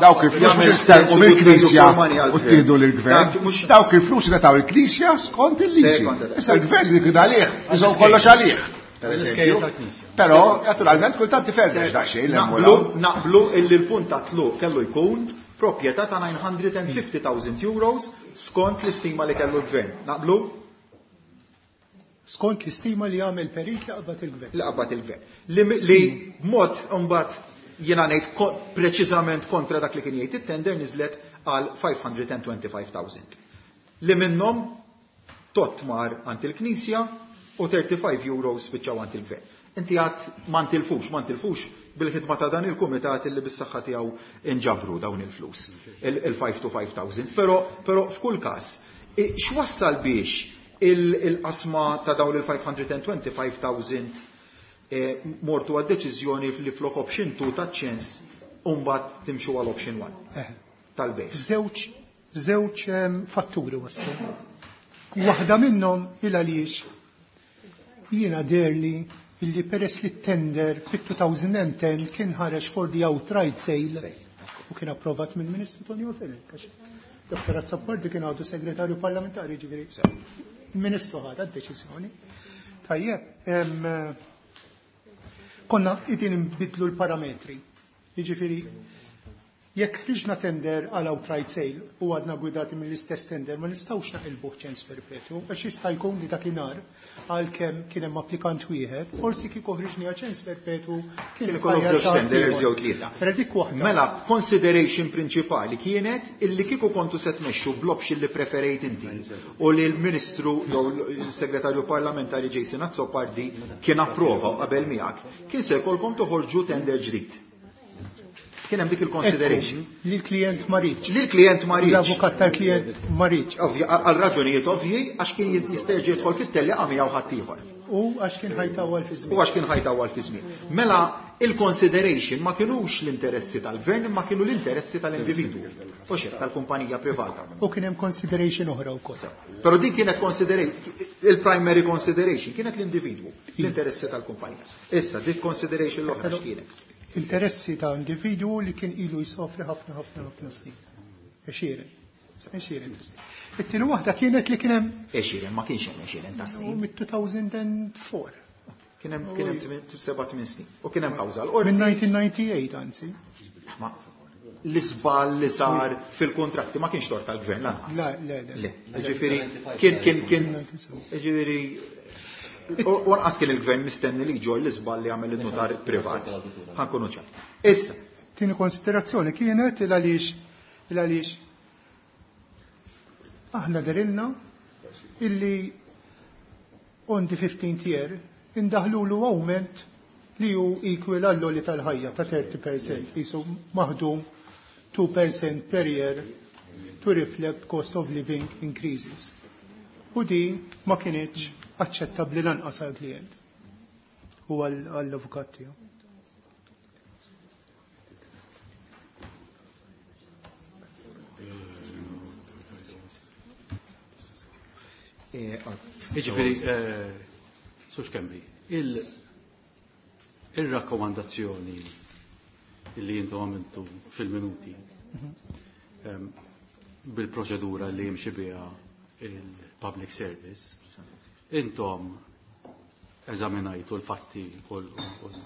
Dawk il-flus jisterqu mill-Knisja u ttieħdu lill-gvern. Dawk il-flus ingħataw il-Knisja skont il-liġi. Issa l-gvern li kien għalih, iżomm kollox għalih. Però, naturalment, kultant tiferrex daqsxejn. Naqblu, naqblu illi l-punt ta' tluq kellu jkun proprjetà ta' nine hundred and fifty thousand euros skont l-istima li kellu l-gvern. Naqblu? Skont l-istima li għamel perit li qabad il-gvern. Li qabad il-gvern. Li, li mod mbagħad jiena ngħid preċiżament kontra dak li kien jgħid it-tender niżlet għal five hundred and twenty-five thousand. Li minnhom tot mar għand il-Knisja u thirty-five euros spiċċaw għand il-gvern. Inti għad ma ntilfux, ma ntilfux bil-ħidma ta' dan il-kumitat illi bis-saħħa tiegħu inġabru dawn il-flus, il-five to five thousand. Però, però f'kull każ, x'wassal biex il-qasma ta' dawn il-five hundred and twenty-five thousand mortu għad-deċiżjoni li flok option two ta' ċens u mbagħad timxu għal option one tal-bejgħ? Żewġ, żewġ fatturi waslu. Waħda minnhom il għaliex jiena derli illi peress li t-tender fit-two thousand and ten kien ħareġ for the outright sale u kien approvat mill-Ministru Tonio Fenech, għax Doktor Azzopardi kien għadu segretarju parlamentari, ġifieri il-Ministru ħadha d-deċiżjoni. Tajjeb, em, konna qegħdin nbidlu l-parametri. Jiġifieri jekk ħriġna tender għal outright sale u għadna gwidati mill-istess tender, ma nistgħux naqilbuh ċens perpetu, għax jista' jkun li dakinhar għalkemm kien hemm applikant wieħed, forsi kieku ħriġni għal ċens perpetu kien Kien ikollok ħajja żewġ ta' tenders ieħor. jew tlieta. Però dik waħda. Mela, consideration prinċipali kienet illi kieku kontu se tmexxu bl-option li preferejt inti u li l-Ministru jew l-Segretarju Parlamentari Jason Azzopardi kien approva u qabel miegħek, kien se jkollkom toħorġu tender ġdid. Kien hemm dik il-consideration. Ekku, li l-klient ma riedx. Li l-klient ma riedx. L-avukat tal-klient ma riedx. Ovvja, għal raġunijiet ovvji, għax kien jis-, jisterġi jidħol fit-tellieqa miegħu ħaddieħor. U għax kien ħajtawwal fi żmien. U għax kien ħajtawwal fi żmien. Mela il-consideration ma kinux l-interessi tal-gvern, ma kienu l-interessi tal-individwu. U xejn tal-kumpanija privata. U kien hemm consideration oħra wkoll. Però din kienet consideration, il-primary consideration kienet l-individwu, l-interessi tal-kumpanija. Issa, dik consideration l-oħra x'kienet? Interessi ta' individwu li kien ilu jsofri ħafna, ħafna, ħafna snin. Għexieren. Għexieren ta' snin. It-tieni waħda kienet li kien hemm Għexieren, ma kienx hemm għexieren ta' snin. Mit-two thousand and four. Kien hemm, kien hemm tmien, seba' tmien snin. U kien hemm kawża l-qorti. Minn nineteen ninety-eight, anzi. Ma l-iżball li sar fil-kontratti ma kienx tort tal-gvern lanqas. Le, le, le. Le, ġifieri, kien, kien, kien, ġifieri, u anqas kien il-gvern mistenni li jġorr l-iżball li għamel in-notar privat. Ħankunu ċar. Issa. Tieni konsiderazzjoni kienet il għaliex, il għaliex aħna derilna illi on the fifteenth year indaħlulu augment li hu equal għall-għoli tal-ħajja ta' thirty percent, jisu maħdum two percent per year to reflect cost of living increases. U di ma kienieċ aċċettabbli lanqas għall-klient u għall-avukat tiegħu. Jiġifieri, Sur Schembri, il-, il-rakkomandazzjoni li jintu għamiltu fil-minuti, Mhm. bil-proċedura li jimxi biha il-public service, intom eżaminajtu l-fatti u l-, u l-,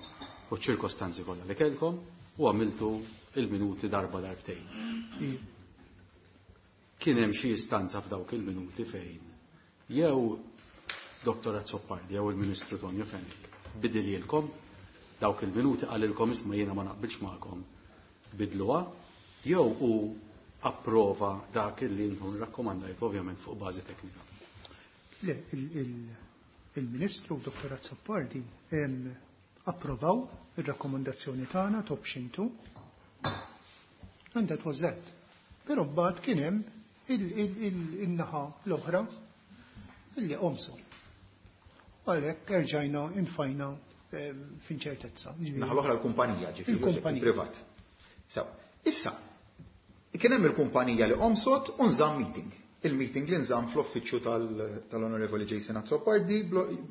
u ċ-ċirkostanzi kollha li kellkom u għamiltu il-minuti darba darbtejn. Iva. Kien hemm xi istanza f'dawk il-minuti fejn jew Doktor Azzopardi jew il-Ministru Tonio Fenech bidililkom dawk il-minuti qalilkom isma' jiena ma naqbilx magħkom bidluha jew hu approva dak li intom rakkomandajt ovvjament fuq bażi teknika. Le, il-, il-, il-Ministru Doktor Azzopardi, em, approvaw ir-rakkomandazzjoni tagħna ta' option two And that was that. Però mbagħad kien hemm il-naħa l-oħra illi qomsu. U għalhekk erġajna infajna f'inċertezza. Naħa l-oħra l-kumpanija, ġifieri privat. So, issa, kien hemm il-kumpanija li qomsot u nżamm meeting. Il-meeting li nżamm fl-uffiċċju tal-Onorevoli Jason Azzopardi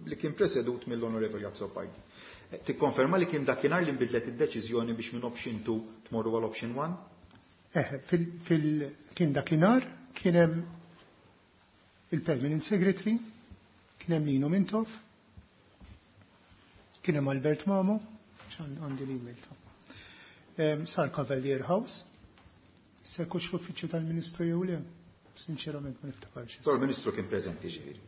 li kien presedut mill-Onorevoli Azzopardi. Tikkonferma li kien dakinhar li nbidlet id-deċiżjoni biex minn option two tmorru għal option one? Eh, kien dakinhar kien hemm il-Permanent Secretary, kien hemm Nino Mintoff, kien hemm Albert Mamo, għandi l-email ta'. Sar Cavalier House, se kux l-uffiċċju tal-Ministru jew le, sinċerament ma niftakarx. Tal-Ministru kien preżenti ġifieri.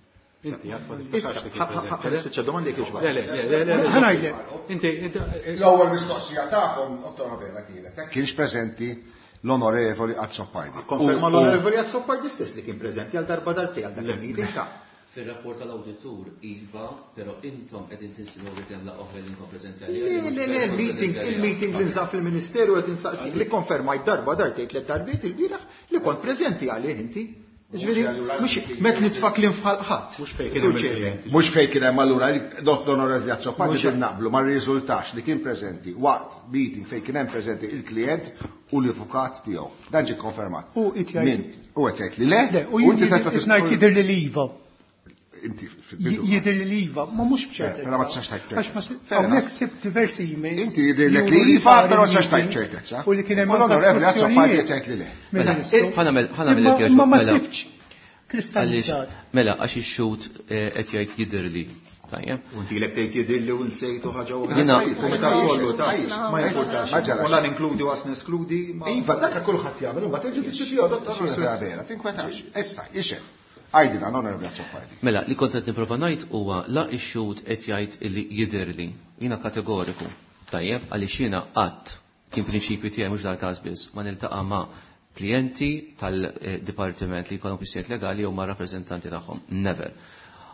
Inti għad ma tiftakarx li kien preżenti. Nispiċċa domandi kif Le, le, le, le, le. Inti, inti. L-ewwel mistoqsija tagħkom, Dottor Abela kienet, kienx preżenti l-Onorevoli Azzopardi. Konferma l-Onorevoli Azzopardi stess li kien preżenti għal darba darbtejn għal dak il-meeting ta' Fil-rapport tal-awditur, Iva, però intom qegħdin tinsinuaw li hemm laqgħa oħra li intom preżenti għaliha. Le, le, le, il-meeting, il-meeting li nżamm fil-Ministeru qed insaqsik li konfermajt darba darbtejn tliet darbiet il-bieraħ li kont preżenti għalih inti. Ġifieri, mhux met nitfa' kliem f'ħalq ħadd. Mhux fejn kien hemm il-klijenti. Mhux fejn kien hemm allura Dottor Onorevoli Azzopardi din naqblu ma rriżultax li kien preżenti waqt meeting fejn kien hemm preżenti il-klijent u l-avukat tiegħu. Dan ġie konfermat. U qed jgħid. U qed jgħid li le, u inti tista' ngħid jidher li iva. Inti fil-bidu. Jidher li iva, ma mhux b'ċertezza. Però ma tistax tgħid Għax ma hawnhekk sibt diversi emails. Inti jidhirlek li iva, però ma tistax tgħid ċertezza. U li kien hemm L-Onorevoli Azzopardi qed jgħid li le. Ħa nagħmel ħa nagħmel Imma ma mela. sibtx kristallizzat. Mela, għax ix-xhud qed jgħid jidhirli. Tajjeb. U inti lek tgħid jidhirli u nsejtu ħaġa oħra. Jiena Kumitat kollu ta' ma jimpurtax. U la ninkludi u għas neskludi. Iva, dak kulħadd jagħmel, imbagħad il-ġudizzju tiegħu Dottor Onorevoli Abela, tinkwetax. Issa, ixed. Għajdina, Onorevoli Azzopardi. Mela, li kont qed nipprova ngħid huwa la ix-xhud qed jgħid illi jidhirli. Jiena kategoriku. Tajjeb, għaliex jiena qatt kien prinċipju tiegħi mhux dal-każ biss, ma niltaqa' ma' klijenti tal-dipartiment li jkollhom kwistjonijiet legali jew ma' rappreżentanti tagħhom. Never.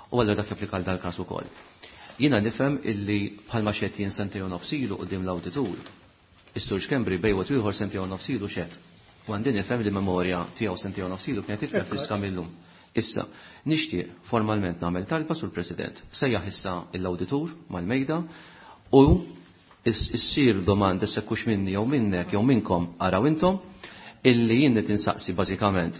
U allura dak japplika għal dal-każ ukoll. Jiena nifhem illi bħalma xed jien sentejn u nofs ilu quddiem l-awditur, is-Sur Schembri bejn wieħed u ieħor sentejn u nofs ilu xed. U għandi nifhem li memorja tiegħu sentejn u nofs ilu kienet iktar friska millum. Issa, nixtieq formalment nagħmel talba sur President. Sejjaħ issa l-awditur mal-mejda u issir domanda sekkux minni jew minnek jew minnkom araw intom illi jien qed insaqsi bażikament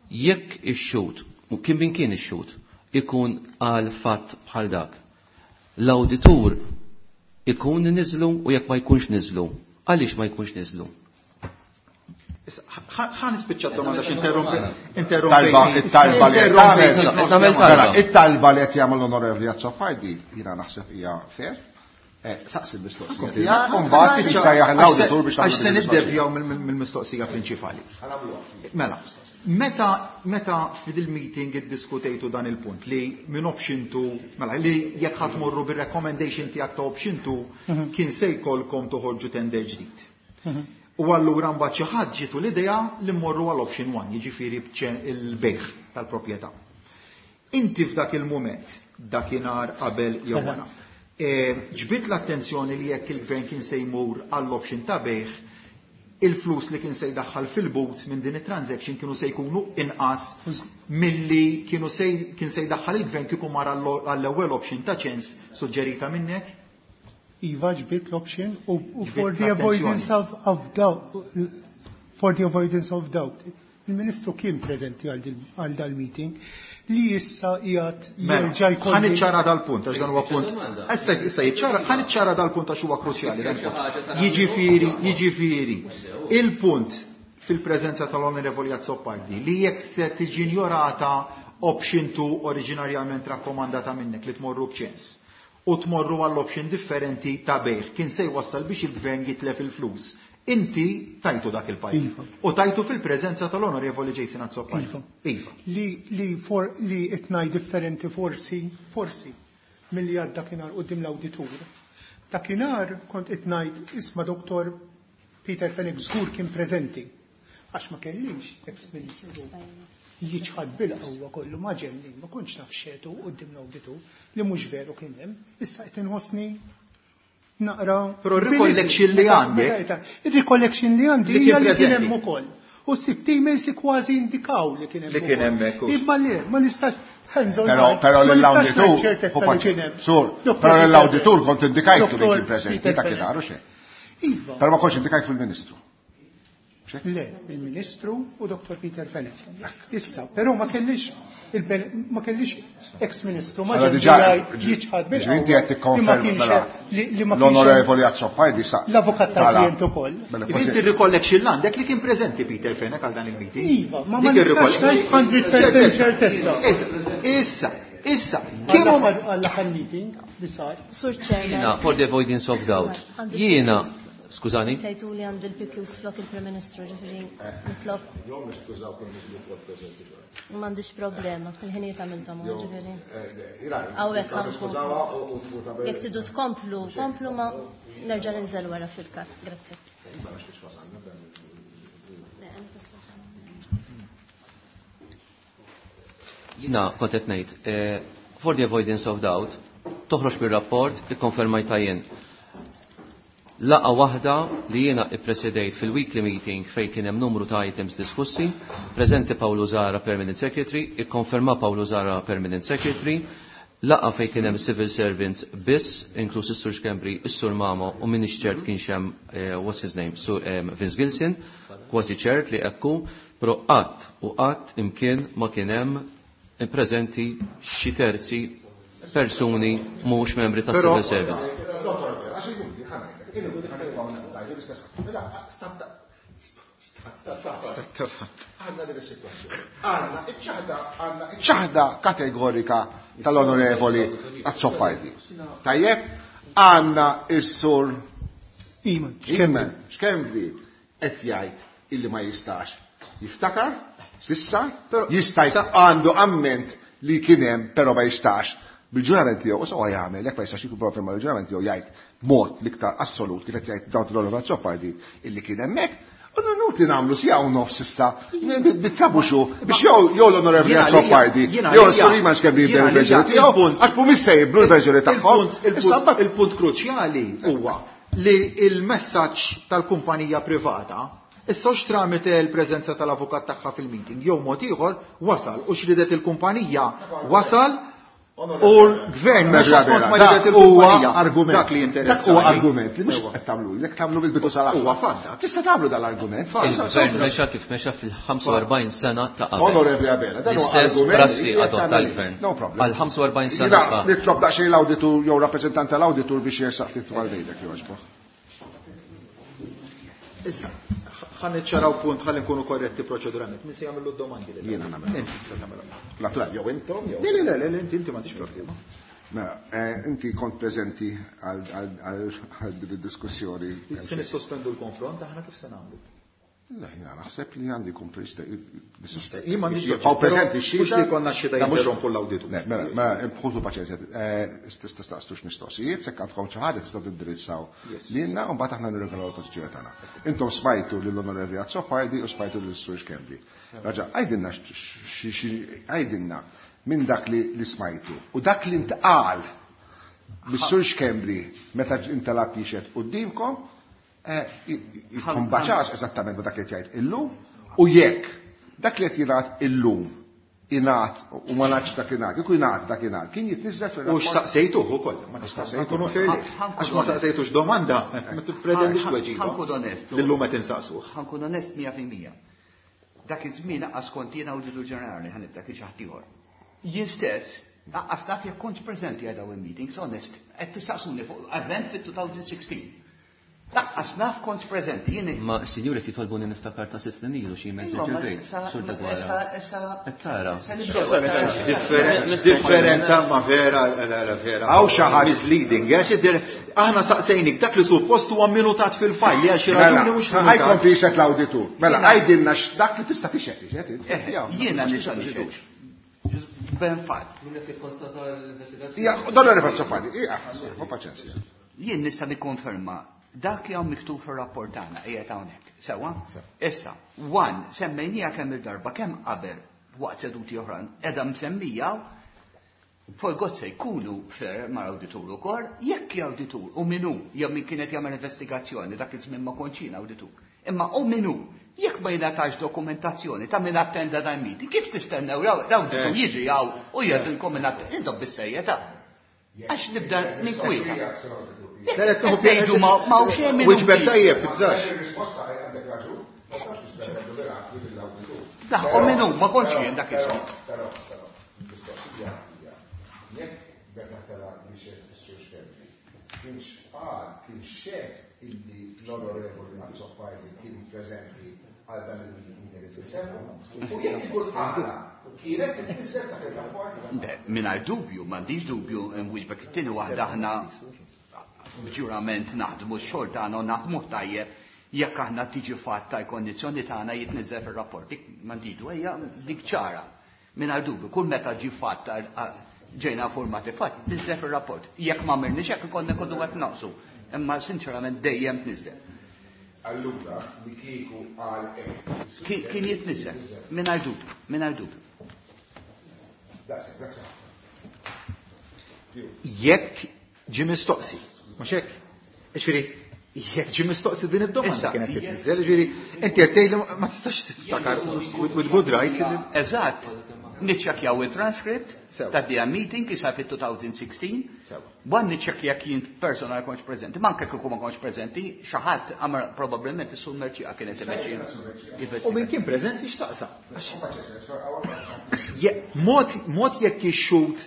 jekk ix-xhud, u kien min kien ix-xhud, ikun għal fatt bħal dak. L-awditur ikun niżlu u jekk ma jkunx niżlu. Għaliex ma jkunx niżlu? Ħa nispiċċa d-domanda x'interrompi. Talba, it-talba li qed tagħmel. Nagħmel talba. It-talba li qed jagħmel l-Onorevoli Azzopardi jiena naħseb hija fair. Saqsi l-mistoqsija tiegħek, u mbagħad jsejjaħ l-awditur biex Għax se niddevjaw mill-mistoqsija prinċipali. Mela, meta meta fil-meeting iddiskutejtu dan il-punt li minn option two, mela li jekk ħadd morru bir-recommendation tiegħek ta' option two kien se jkollkom toħorġu tender ġdid. U allura mbagħad xi ħadd ġietu l-idea li mmorru għal option one, jiġifieri il-bejħ tal-proprjetà. Inti f'dak il-mument, dakinhar qabel jew wara, ġbit l-attenzjoni li jekk il-gvern kien se jmur għall-option ta' bejħ, il-flus li kien se jdaħħal fil-but minn din it-transaction kienu se jkunu inqas milli kienu se kien se jdaħħal il-gvern kieku mar għall-ewwel option ta' ċens suġġerita minnek? Iva ġbit l-option u for the avoidance of, of doubt, for the avoidance of doubt. Il-Ministru kien preżenti għal dal-meeting li issa qiegħed jerġa' jkollu. Ħa niċċara dal-punt għax dan huwa punt. Issa issa jiċċara, ħa niċċara dal-punt għax huwa kruċjali dan punt. Jiġifieri, jiġifieri, il-punt fil-preżenza tal-Onorevoli Azzopardi li jekk se tiġi injorata option two oriġinarjament rakkomandata minnek li tmorru b'ċens u tmorru għall-option differenti ta' bejħ kien se jwassal biex il-gvern jitlef il-flus. Inti tajtu dak il-pajjiż. Iva. U tajtu fil-preżenza tal-Onorevoli Jason Azzopardi. Iva. Iva. Li, li, for, li itnaj differenti forsi, forsi, milli għad dakinhar quddiem l-awditur. Dakinhar kont itnajt isma' Doktor Peter Fenech żgur kien preżenti. Għax ma kellix ex-ministru jiċħad bil-qawwa kollu ma ġenni, ma kontx naf xetu quddiem l-awditur li mhux veru kien hemm. Issa qed inħossni Naqra. Però r-recollection li għandek. Il-recollection li għandi Li kien hija li kien preżenti. hemm ukoll. U sibt emails li kważi indikaw li kien hemm. Li kien ukoll. hemmhekk, hux. Imma le, ma nistax hands on Però heart, però ma nistax l-awditur, ngħid ċertezza li kien hemm. Sur, Dottor però Peter l-awditur kont indikajtu li Dottor kien preżenti Peter ta' Fenech. kien xe. Iva. Però ma kontx indikajt fil-Ministru. Le, il-Ministru u Dottor Peter Fenech. Issa, però ma kellix il-ben- ma kellix ex-ministru ma Allora ġen diġà jiċħad ġifieri inti qed bil-qawwa li ma tikkonferma kienx mela li li ma kienx l-onorevoli Azzopardi sa l-avukat tal-klient ukoll. Mela Inti kważi recollection l-għandek li kien preżenti Peter Fenech għal dan il-meeting. Iva, ma ma Dik nistax ir-recollection. ngħid mija fil-mija ċertezza. Issa, issa, kienu Għall-aħħar għall-aħħar meeting li sar. Sur Chairman. Jiena, for the avoidance of doubt, Għandi jiena, P Qs. skużani, Sejtu li għandi l-P Qs flok il-Prim Ministru, ġifieri nitlob. M'għandix problema, il-ħinijiet għamilthom, ġifieri. Hawnhekk ħankomplu. Jekk tridu tkomplu, komplu ma nerġa' ninżel wara fil-każ. Grazzi. Jiena kont qed ngħid, eh, for the avoidance of doubt, toħroġ bir-rapport ikkonfermajta jien. Laqa waħda li jiena ippresedejt fil-weekly meeting fejn kien hemm numru ta' items diskussi, preżenti Paolo Zahra Permanent Secretary, ikkonferma Paolo Zahra Permanent Secretary, laqa fejn kien hemm civil servants biss, inkluż is-Sur Schembri, is-Sur Mamo u minix ċert kien hemm, eh, what's his name, Sur, eh, Vince Gilson, kważi ċert li ekku, però qatt u qatt imkien ma kien hemm preżenti xi terzi persuni mhux membri ta' Però- civil service. Għandna din is-sitwazzjoni. Għandna iċ-ċaħda, għandna iċ-ċaħda kategorika tal-onorevoli Azzopardi. Tajjeb, għandna is-sur Iman, Iman Schembri qed jgħid illi ma jistax jiftakar sissa, Però- jista' għandu amment li kien hemm però ma jistax bil-ġurament tiegħu, u sewwa jagħmel, jekk ma jistax jikkonferma bil-ġurament tiegħu jgħid b'mod l-iktar assolut kif qed jgħid dawn l-onorevoli Azzopardi illi kien hemmhekk. U nuti nagħmlu sija u nofs issa, bit-trabuxu, biex jew jew l-onorevoli Jiena għalija- Azzopardi, jiena jew għalija- s-sur Iman Schembri jiena jibdew il-verġjoni għalija- tiegħu, il-punt- għax mhumiex se jibdlu l-verġjoni tagħhom. Il-punt- il-punt- Issa mbagħad- Il-punt kruċjali huwa li il-messaġġ tal-kumpanija privata issa hux tramite l-preżenza tal-avukat tagħha fil-meeting, jew mod ieħor wasal u xridet il-kumpanija wasal u l-gvern mhux skont ma ridet Dak huwa il-kumpanija. argument. Dak li Dak huwa interessani. argument li mhux Sewwa. qed tagħmlu, jekk tagħmlu bil-bidu sal-aħħar. Huwa fatt dak. Tista' tagħmlu dal-argument. Il-gvern mexa kif mexa fil-ħamsa u erbgħin sena ta' qabel. Onorevoli Abela, dan huwa L-istess argument prassi li qed adotta tagħmel. l-gvern. No problem. Għal ħamsa u erbgħin sena Jiena ta' nitlob daqsxejn l-awditur jew rappreżentant tal-awditur biex jersaq ftit mal-bejda kif għaġbu. Issa, ħa niċċaraw punt ħalli nkunu korretti proċeduralment. Min se jagħmlu d-domandi lil? Jiena nagħmel. Inti se tagħmilhom. Natural, jew intom jew. Le, le, le, le, inti inti m'għandix problema. Mela, eh, inti kont preżenti għal għal- għal għal din id-diskussjoni. Se nissospendu l-konfront aħna kif se nagħmlu? Le, jiena naħseb li għandi jkun preżenti. Jien m'għandix Jibqgħu preżenti però x-xhieda. mhux li jkollna x-xhieda Da mhux- jinterrompu l-awditur. Le, mela, mela, bħutu paċenzja. Eh, Tistaqsux mistoqsijiet, sekk għandkom xi ħaġa tistgħu tindirizzaw lilna u mbagħad aħna nirregolaw l-pożizzjoni tagħna. Intom smajtu lill-Onorevoli Azzopardi u smajtu lil-Sur Schembri. Raġa, għajdilna x- x- għajdilna minn dak li li smajtu u dak li ntqal bis-Sur Schembri meta intalab jixhed qudiemkom, eh, jikkombaċax eżattament ma dak li qed jgħid illum u jekk dak li qed jingħad illum ingħad u ma ngħadx dak ingħad, kieku jingħad dak ingħad, kien jitniżżel U fir-rapport. x'saqsejtuh ukoll, ma X'saqsejtuh. nkunu fair. Għax ma saqsejtux domanda, ma tippretendix tweġiba. Ħankun onest. Lillum qed insaqsuh. Ħankun onest mija fil-mija. Dak iż-żmien aqqas kont jiena awditur ġenerali ħanibda kien xi ħadd ieħor. Jien stess aqqas naf jekk kont preżenti għal dawn il-meetings, onest, qed tistaqsuni fuq event fit-twenty sixteen. Laqqas naf kont preżenti, jien Ma sinjuri titolbuni niftakar ta' sitt snin ilu xi mezz Iva, ma ġervejt, issa- sur Degwara. issa- issa- Qed tara. issa nibdew. Differen- Differenza ma vera, la, la, vera. Hawn xi ħadd. Misleading, għax id-dir- aħna saqsejnik dak li suppost huwa minutat fil-fajl li għal xi Mela, raġuni mhux ħajkon minutat. fi xed l-awditur. Mela, għajdilna x'dak li tista' tixhed, tixhed, inti. Eh, Jiena nista' nixhed. Ben fatt. Ija, Donna Azzopardi, ija, ħu paċenzja. Jien nista' nikkonferma dak li hawn miktub fir-rapport tagħna qiegħed hawnhekk. Sewwa? Issa, one semmejnija kemm il-darba kemm qabel waqt seduti oħrajn qiegħda msemmija For God's sake, kunu fair ma' awditur ukoll, jekk awditur u minu jew min kienet jagħmel investigazzjoni dak iż-żmien ma kontx jien awditur. Imma u minu, jekk ma jingħatax dokumentazzjoni ta' min attenda dan meeting, kif tistennew l-awditur jiġi hawn u jgħidilkom min attenda, intom bis-serjetà. Għax nibda ninkwieta. Ngħidu ma ma hawn xejn minn. Wiġbek tajjeb, tibżax. Risposta għandek raġun, ma tistax tistennew mirakli mill-awditur. Daħ, u minu, ma kontx jien dak iż-żmien. Però, però, mistoqsija hija, jekk meta tela biex is-Sur Schembri, kienx qal, kien xed illi l-Onorevoli Azzopardi kien preżenti għal dan il-meeting li tfisser, u jekk ikun qala, kienet titfisser dak ir-rapport? Le, mingħajr dubju, m'għandix dubju nwieġbek it-tieni waħda aħna b'ġurament naħdmu x-xogħol tagħna u naħdmu tajjeb jekk aħna tiġi fatta l-kondizzjoni tagħna jitniżel fir-rapport. Dik m'għandix dubju, ejja dik ċara. Mingħajr dubju, kull meta ġi fatta ġejna informati fatt, tniżel fir-rapport. Jekk ma għamilniex hekk ikollna nkunu qed naqsu. Imma sinċerament dejjem tniżel. Allura, li kieku qal hekk. Kien jitniżel, mingħajr dubju, mingħajr dubju. Daqshekk, daqshekk. Jekk ġie mistoqsi, mhux hekk? Ġifieri, jekk ġie mistoqsi din id-domanda kienet titniżel, ġifieri, inti qed tgħid li ma tistax tiftakar with good right. Eżatt. Niċċekkjaw il-transcript ta' D M meeting ki sar fit-two thousand sixteen. Wan niċċekkja jekk jien personal kontx preżenti, ma anke kieku ma kontx preżenti, xi ħadd għamel probabbilment is-Sur Mercieca kienet imexxi. U min kien preżenti x'saqsa? Mod, mod jekk ix-xhud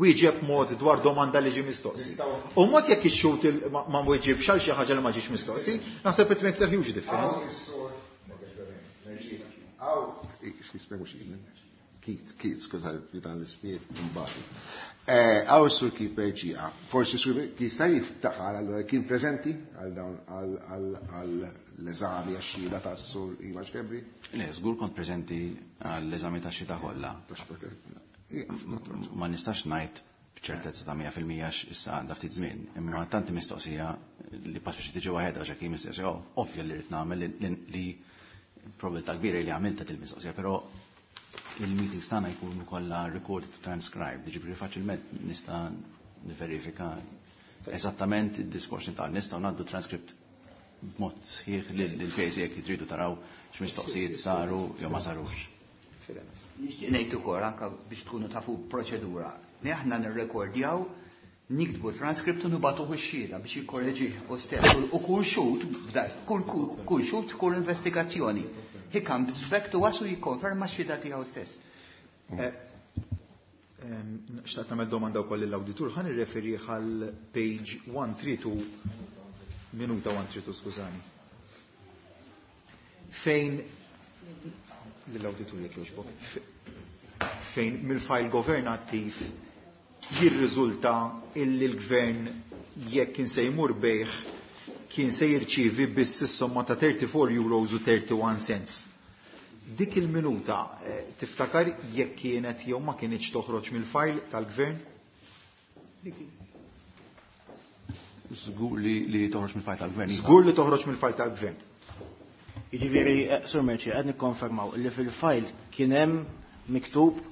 wieġeb mod dwar domanda li ġie mistoqsi. U mod jekk ix-xhud ma, ma wieġibx għal xi ħaġa li ma ġiex mistoqsi, naħseb it makes a huge difference. Keith, Keith, skuża, dan l-ispiet imbagħad. Għaw is-Sur Keith Mercieca, forsi Sur Keith jista' jiftakar allura kien preżenti għal dawn għal l-eżami għax-xhieda tas-Sur Ivan Schembri? Le, żgur kont preżenti għall-eżami tax-xhieda kollha. Ma nistax ngħid b'ċertezza ta' mija fil-mija issa għandha ftit żmien, imma tanti mistoqsija li pass biex tiġi waħedha għax hekk mistoqsija, ovvja li rrid nagħmel li probabilità kbira li għamilta til-mistoqsija, però il-meetings tagħna jkunu kollha recorded u transcribed, jiġifieri faċilment nista' niverifika eżattament id-diskors li tagħna, nistgħu ngħaddu transcript b'mod sħiħ lil P A C jekk tridu taraw x'mistoqsijiet saru jew ma sarux. Nixtieq ngħid ukoll anke biex tkunu tafu proċedura. Li aħna nirrekordjaw, niktbu transcript u nibagħtuh ix-xhieda biex jikkorreġih u stess. U kull xhud, kull, kull xhud, kull investigazzjoni. He comes back to us u jikkonferma x-xhieda tiegħu stess. Xtaqt nagħmel domanda wkoll lill-awditur, ħa nirreferi għal page one three two, minuta one three two, skużani. Fejn lill-awditur jekk jogħġbok, fejn mill-file governattiv jirriżulta illi l-gvern jekk kien se jmur bejħ kien se jirċievi biss is-somma ta' thirty-four euros u thirty-one cents. Dik il-minuta, eh, tiftakar jekk kienet jew ma kienx toħroġ mill-file tal-gvern? Żgur li, li toħroġ mill-file tal-gvern, iva. Żgur li toħroġ mill-file tal-gvern. Jiġifieri, eh, Sur Mercieca, qed nikkonfermaw li fil-file kien hemm miktub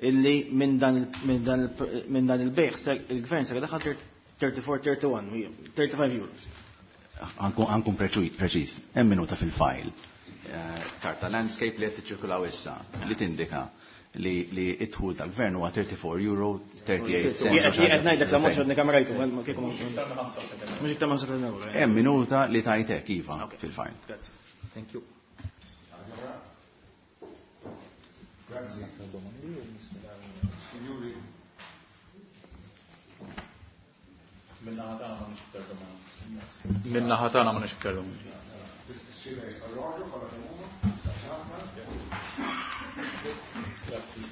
illi minn dan il-, minn dan il-, minn dan il-bejħ ser-, il-gvern ser daħal thirty-four, thirty-one, thirty-five euros. Għankun preċiż, hemm minuta fil-file. Eh, karta landscape li qed tiċċirkulaw issa li tindika li, li id-dħul tal-gvern huwa thirty-four euro thirty-eight cents. Jien qed ngħidlek la mod xodni kamerajtu, ma kieku ma mhux iktar ma ħamsa euro. Hemm minuta li tajtek iva Ok. fil-file. Grazie. Thank you. Grazie. Signori. Minna ħatana ma nix iktar domandi. Minna ħatana ma nix iktar domandi. Grazie.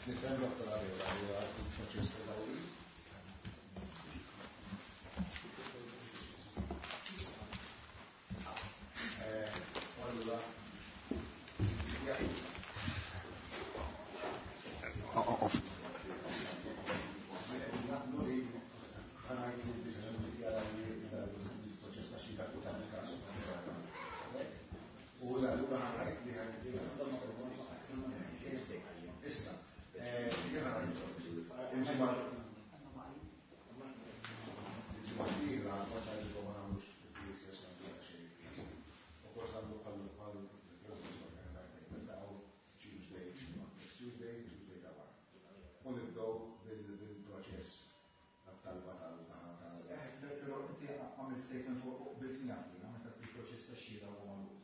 Nifhem Dottor Abela li huwa il-proċess tal-awli. statement u qbilt miegħek jiena meta il-proċess tax-xhieda huwa magħluq.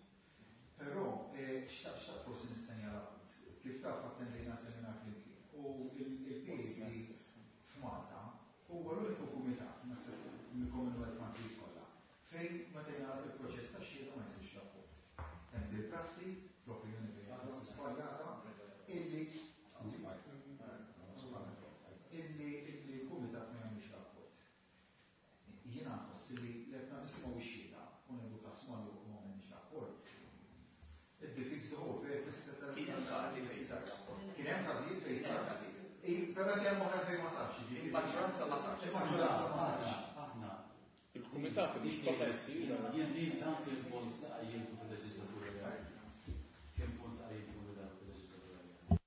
Però xtaqt xtaqt forsi nistenjala punt. Kif taf attendejna seminar flimkien u il-P A C f'Malta huwa l-uniku kumitat, naħseb, mill-Commonwealth countries kollha, fejn meta jingħalaq il-proċess tax-xhieda ma jsirx rapport. Hemm dil-prassi, l-opinjoni tiegħi prassi żbaljata, illi illi illi l-kumitat ma jagħmilx rapport. Jiena nħoss li qed nisimgħu x-xhieda u ngħidu każ magħluq u ma għamilniex rapport. It defeats the whole purpose ta' Kien hemm każi fejn sar rapport. Kien hemm każijiet fejn sar. Però kien hemm oħra fejn ma sarx, jiġifieri. Il-maġġoranza ma sarx. Il-maġġoranza ma sarx. Aħna. Il-kumitat mhux koperti. Jien li tant il-punt li qajjimtu fil-leġislatura li għaddiet. Kien punt li qajjimtu fil-leġislatura li għaddiet.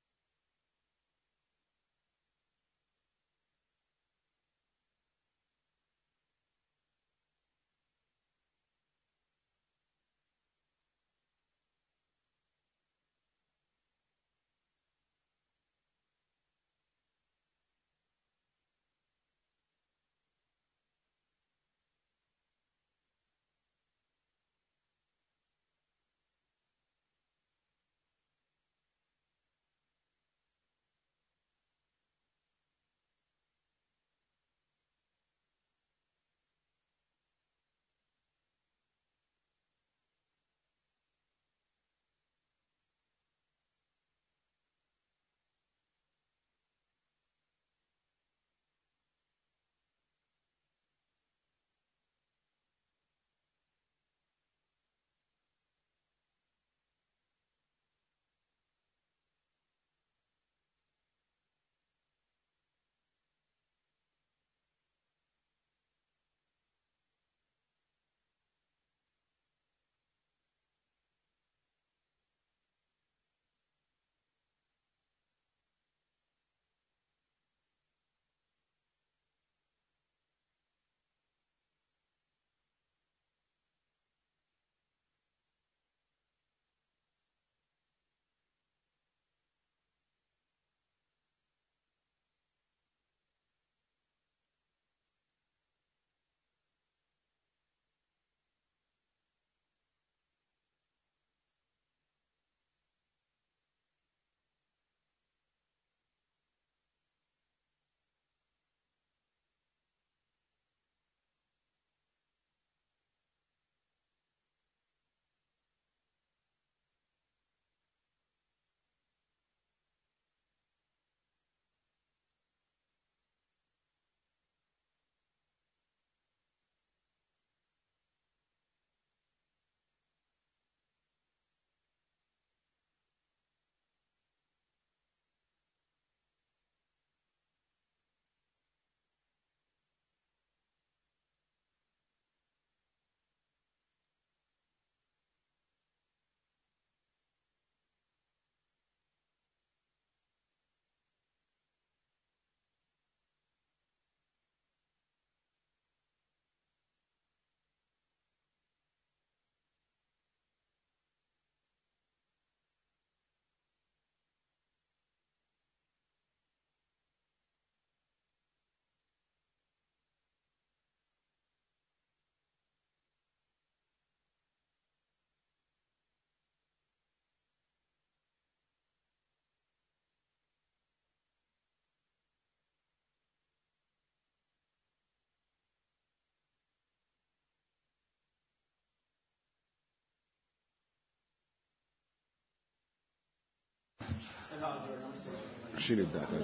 X'inhi d-data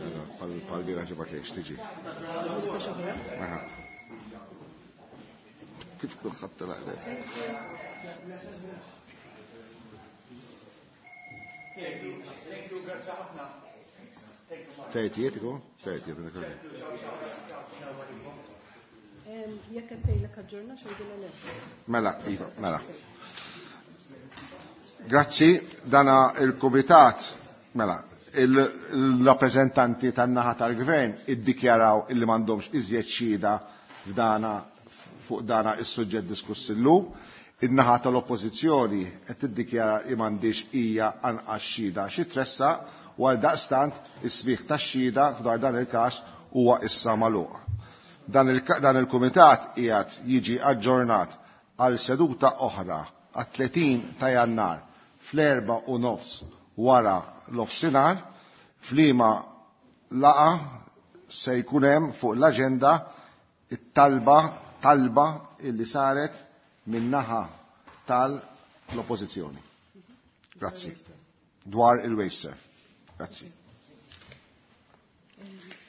pal-bira ġibgħat li tiġi? Aha. Kif kulħadd telaq? Thank you, thank you, grazzi ħafna. Thirtieth ikun? Thirtieth. Jekk qed tgħidlek aġġorna x'għidilha le. Mela, iva, mela. Grazzi, dana il-Kumitat, mela, il-rappreżentanti tan-naħa tal-Gvern iddikjaraw illi m'għandhomx iżjed xhieda f'dana fuq dana is-suġġett diskuss illum. In-naħa tal-Oppożizzjoni qed tiddikjara li m'għandix hija anqas xhieda xi tressaq u għal daqstant is-smigħ tax-xhieda f'dar dan il-każ huwa issa magħluq. Dan il-kumitat qiegħed jiġi aġġornat għal seduta oħra għat-tletin ta' Jannar fl-erba' u nofs wara l-ofsinhar, f'liema laqa se jkun hemm fuq l-aġenda it-talba talba illi saret min-naħa tal-oppożizzjoni. Grazzi. Dwar il-WasteServ. Grazzi.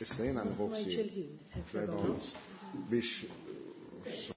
Issa jiena nħobb biex